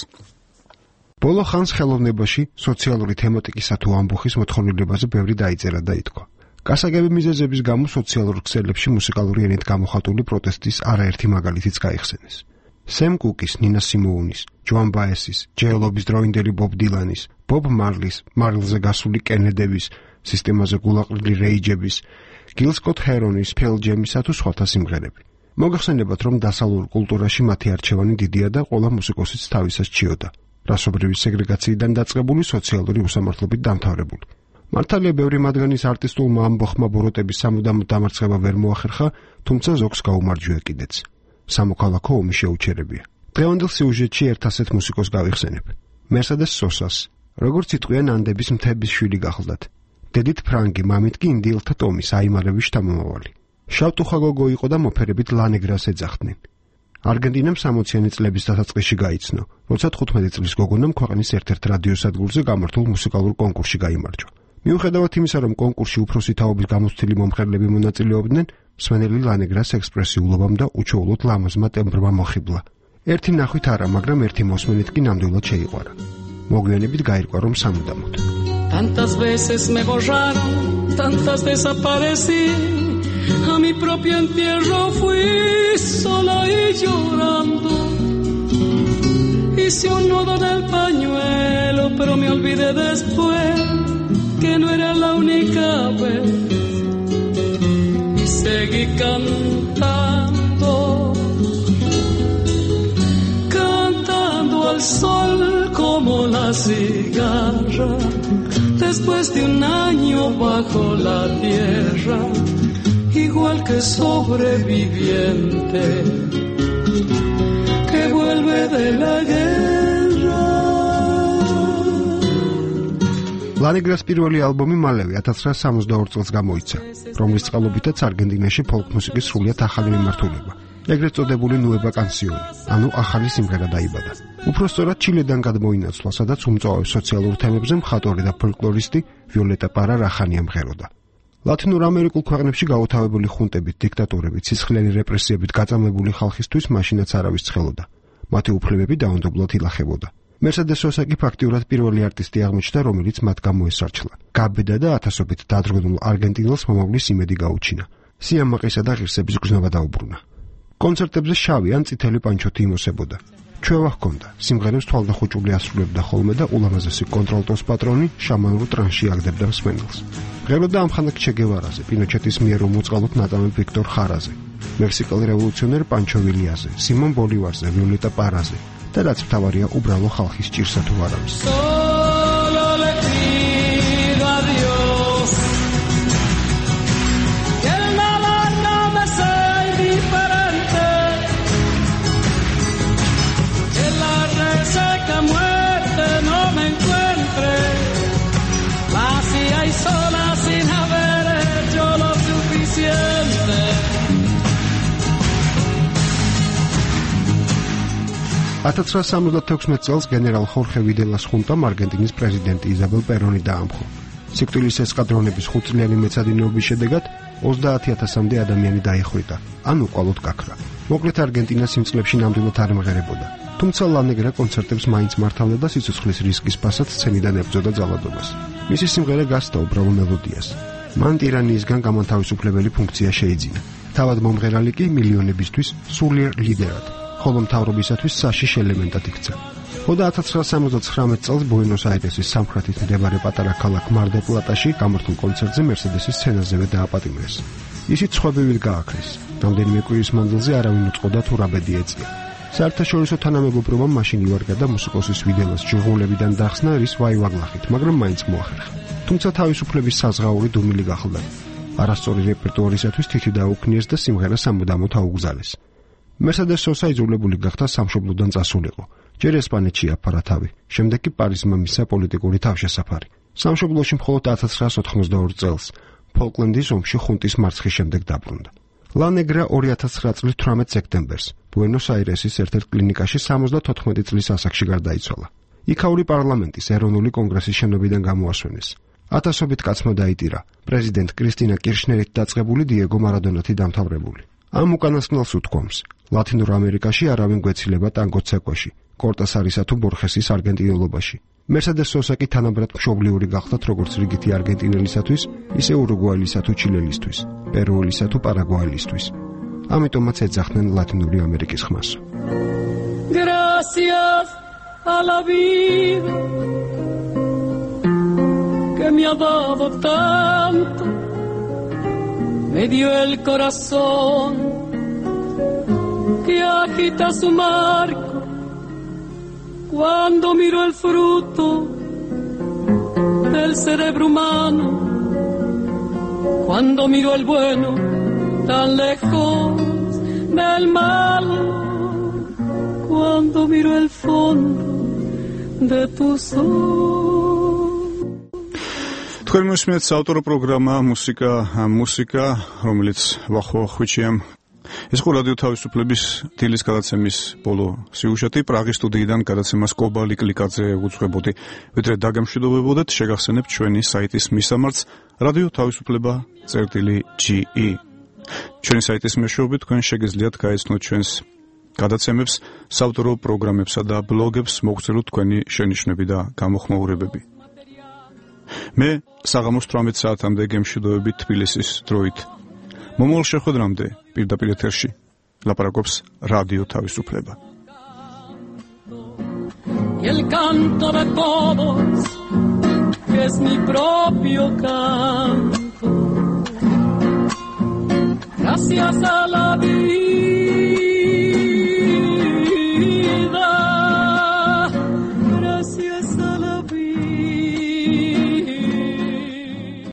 ბოლო ხანს ხელოვნებაში სოციალური თემატიკისა თუ ამბოხის მოთხოვნილებაზე ბევრი დაიწერა და ითქვა. გასაგები მიზეზების გამო სოციალურ ქსელებში მუსიკალური ენით გამოხატული პროტესტის არაერთი მაგალითიც გაიხსენეს. სემ კუკის, ნინა სიმოუნის, ჯოან ბაესის, ჯეელობის დროინდელი ბობ დილანის, ბობ მარლის, მარილზე გასული კენედების, სისტემაზე გულაყრილი რეიჯების, გილ სკოტ ჰერონის, ფელ ჯემისა თუ სხვათა სიმღერები. მოგახსენებათ, რომ დასავლურ კულტურაში მათი არჩევანი დიდია და ყველა მუსიკოსიც თავისას ჩიოდა. რასობრივი სეგრეგაციიდან დაწყებული სოციალური უსამართლობით დამთავრებული. მართალია, ბევრი მათგანის არტისტულმა ამბოხმა ბოროტების სამუდამო დამარცხება ვერ მოახერხა, თუმცა ზოგს გაუმარჯვია კიდეც. სამოქალაქო ომი შეუჩერებია. დღევანდელ სიუჟეტში ერთ ასეთ მუსიკოს გავიხსენებ. მერსედეს სოსას, როგორც იტყვიან ანდების მთების შვილი გახლდათ. დედით ფრანგი, მამით კი ინდიელთა ტომის აიმარების შთამომავალი. შავტუხაგოგო იყო და მოფერებით ლანეგრას ეძახდნენ. არგენტინამ სამოციანი წლების დასაწყისში გაიცნო, როცა თხუთმეტი წლის გოგონამ ქვეყნის ერთ-ერთ რადიოსადგურზე გამართულ მუსიკალურ კონკურსში გაიმარჯვა. მიუხედავად იმისა, რომ კონკურსში უფროსი თაობის გამოცდილი მომხრეები მონაწილეობდნენ, მსმენელი ლანეგრას ექსპრესიულობამ და უჩვეულოდ ლამაზმა ტემბრმა მოხიბლა. ერთი ნახვით არა, მაგრამ ერთი მოსმენით კი ნამდვილად შეიყვარა. მოგვიანებით გაირკვა, რომ სამუდამოდ. Tantas veces me borraron, tantas desaparecí, a mi propio entierro fui sola y llorando. Hice un nudo en el pañuelo, pero me olvidé después que no era la única vez. Y seguí cantando, cantando al sol como la cigarra. Después de un año bajo la tierra, igual que sobreviviente que vuelve de la guerra. ლანეგრას პირველი ალბომი მალევე ათას რვაასი სამოცდაორი წელს გამოიცა, რომლის წყალობითაც არგენტინაში ფოლკ მუსიკის სრულიად ახალი მიმართულება, ეგრეთ წოდებული ნუევა კანსიონი, ანუ ახალი სიმღერა დაიბადა. უფრო სწორად ჩილედან გადმოინაცვლა, სადაც უმწვავე სოციალურ თემებზე მხატვარი და ფოლკლორისტი ვიოლეტა პარა რახანია მღეროდა. ლათინურ ამერიკულ ქვეყნებში გაუთავებული ხუნტებით, დიქტატორებით, სისხლიანი რეპრესიებით გაწამლებული ხალხისთვის მაშინაც არავის ცხელოდა. მათი უფლებები დაუნდობლად ილახებოდა. მერსედეს სოსა კი ფაქტიურად პირველი არტისტი აღმოჩნდა, რომელიც მათ გამოესარჩლა. გაბედა და ათასობით დადროვილ არგენტინელს მომავლის იმედი გაუჩინა. სიამაყისა და ღირსების გზნობა დაუბრუნა. კონცერტებზე შავი ან წითელი პანჩოთი იმოსებოდა. ჩვევა ჰქონდა, სიმღერებს თვალდახუჭული ასრულებდა ხოლმე და ულამაზესი კონტრალტოს პატრონი შამანურ ტრანსში აგდებდა მსმენელს. მღეროდა ამხანაგ ჩე გევარაზე, პინოჩეტის მიერ უმოწყალოდ ნაწამი ვიქტორ ხარაზე, მექსიკელ რევოლუციონერ პანჩო ვილიაზე, სიმონ ბოლივარზე, ვიოლეტა პარაზე და რაც მთავარია, უბრალო ხალხის ჭირსა თუ არამს. ათას რვაასი სამოცდათექვსმეტ წელს გენერალ ხორხე ვიდელას ხუნტამ არგენტინის პრეზიდენტი იზაბელ პერონი დაამხო. სიკვდილის ესკადრონების ხუთწლიანი მეცადინეობის შედეგად ოცდაათი ათასამდე ადამიანი დაიხვრიტა, ან უყალოდ გაქრა. მოკლედ არგენტინას იმ წლებში ნამდვილად არ მღერებოდა. თუმცა ლანეგრა კონცერტებს მაინც მართავდა და სიცოცხლის რისკის პასად სცენიდან ებრძოდა ძალადობას. მისი სიმღერა გასცდა უბრალო მელოდიას. მან ტირანიისგან გამანთავისუფლებელი ფუნქცია შეიძინა. თავად მომღერალი კი მილიონებისთვის სულიერ ლიდერად, ხოლო მთავრობისათვის საშიშ ელემენტად იქცა. ხოდა ათას რვაასი სამოცდათხრამეტ წელს ბუენოს-აირესის სამხრეთით მდებარე პატარა ქალაქ მარ-დელ-პლატაში გამართულ კონცერტზე მერსედესის სცენაზევე დააპატიმრეს. ისიც სხვებივით გააქრეს. რამდენიმე კვირის მანძილზე არავინ უწყოდა თუ რა ბედი ეწია. საერთაშორისო თანამეგობრობამ მაშინ ივარგა და მუსიკოსის ვიდელას ჯიღულებიდან დახსნა რის ვაივაგლახით, მაგრამ მაინც მოახერხა. თუმცა თავისუფლების საზღაური დუმილი გახლდა. არასწორი რეპერტუარისათვის თითი დაუქნიეს და სიმღერა სამუდამოდ აუგზალეს. მერსედეს სოსა იძულებული გახდა სამშობლოდან წასულიყო. ჯერ ესპანეთში აფარა თავი, შემდეგ კი პარიზმა მისცა პოლიტიკური თავშესაფარი. სამშობლოში მხოლოდ ათას რვაასი ოთხმოცდაორი წელს, ფოლკლენდის ომში ხუნტის მარცხის შემდეგ დაბრუნდა. ლანეგრა ორი ათას ცხრა წლის თვრამეტ სექტემბერს ბუენოს-აირესის ერთ-ერთ კლინიკაში სამოცდათოთხმეტი წლის ასაკში გარდაიცვალა. იქაური პარლამენტის ეროვნული კონგრესის შენობიდან გამოასვენეს. ათასობით კაცმა დაიტირა, პრეზიდენტ კრისტინა კირშნერით დაწყებული დიეგო მარადონათი დამთავრებული. ამ უკანასკნელს უთქვამს, ლათინურ ამერიკაში არავინ გვეცილება ტანგოს ცეკვაში, კორტასარისა თუ ბორხესის არგენტინელობაში. მერსედეს სოსა კი თანაბრად მშობლიური გახდათ როგორც რიგითი არგენტინელისათვის, ისე ურუგვაელისა თუ ჩილელისთვის, პერუელისა თუ პარაგვაელისთვის. ამიტომაც ეძახდნენ ლათინური ამერიკის ხმას. Gracias a la vida que me ha dado tanto, me dio el corazón que agita su marco cuando miro el fruto del cerebro humano, cuando miro el bueno tan lejos del mal, cuando miro el fondo de tus ojos. თქვენ მოსმენთ საავტორო პროგრამა მუსიკა მუსიკა, რომელიც ვახო ხვიჩიამ ეს ხო რადიო თავისუფლების დილის გადაცემის ბოლო სიუჟეტი პრაღის სტუდიიდან გადაცემას კობალი კლიკაძე უძღვებოდი. ვიდრე დაგემშვიდობებოდეთ, შეგახსენებთ ჩვენი საიტის მისამართს რადიო თავისუფლება წერტილი ჯი ი. ჩვენი საიტის მეშვეობით თქვენ შეგიძლიათ გაეცნოთ ჩვენს გადაცემებს, საავტორო პროგრამებსა და ბლოგებს, მოგცელოთ თქვენი შენიშვნები და გამოხმაურებები. მე საღამოს თვრამეტ საათამდე გემშვიდობებით თბილისის დროით. მომავალ შეხვედრამდე პირდაპირ ეთერში ლაპარაკობს რადიო თავისუფლება. El canto de todos es mi propio canto. Gracias a la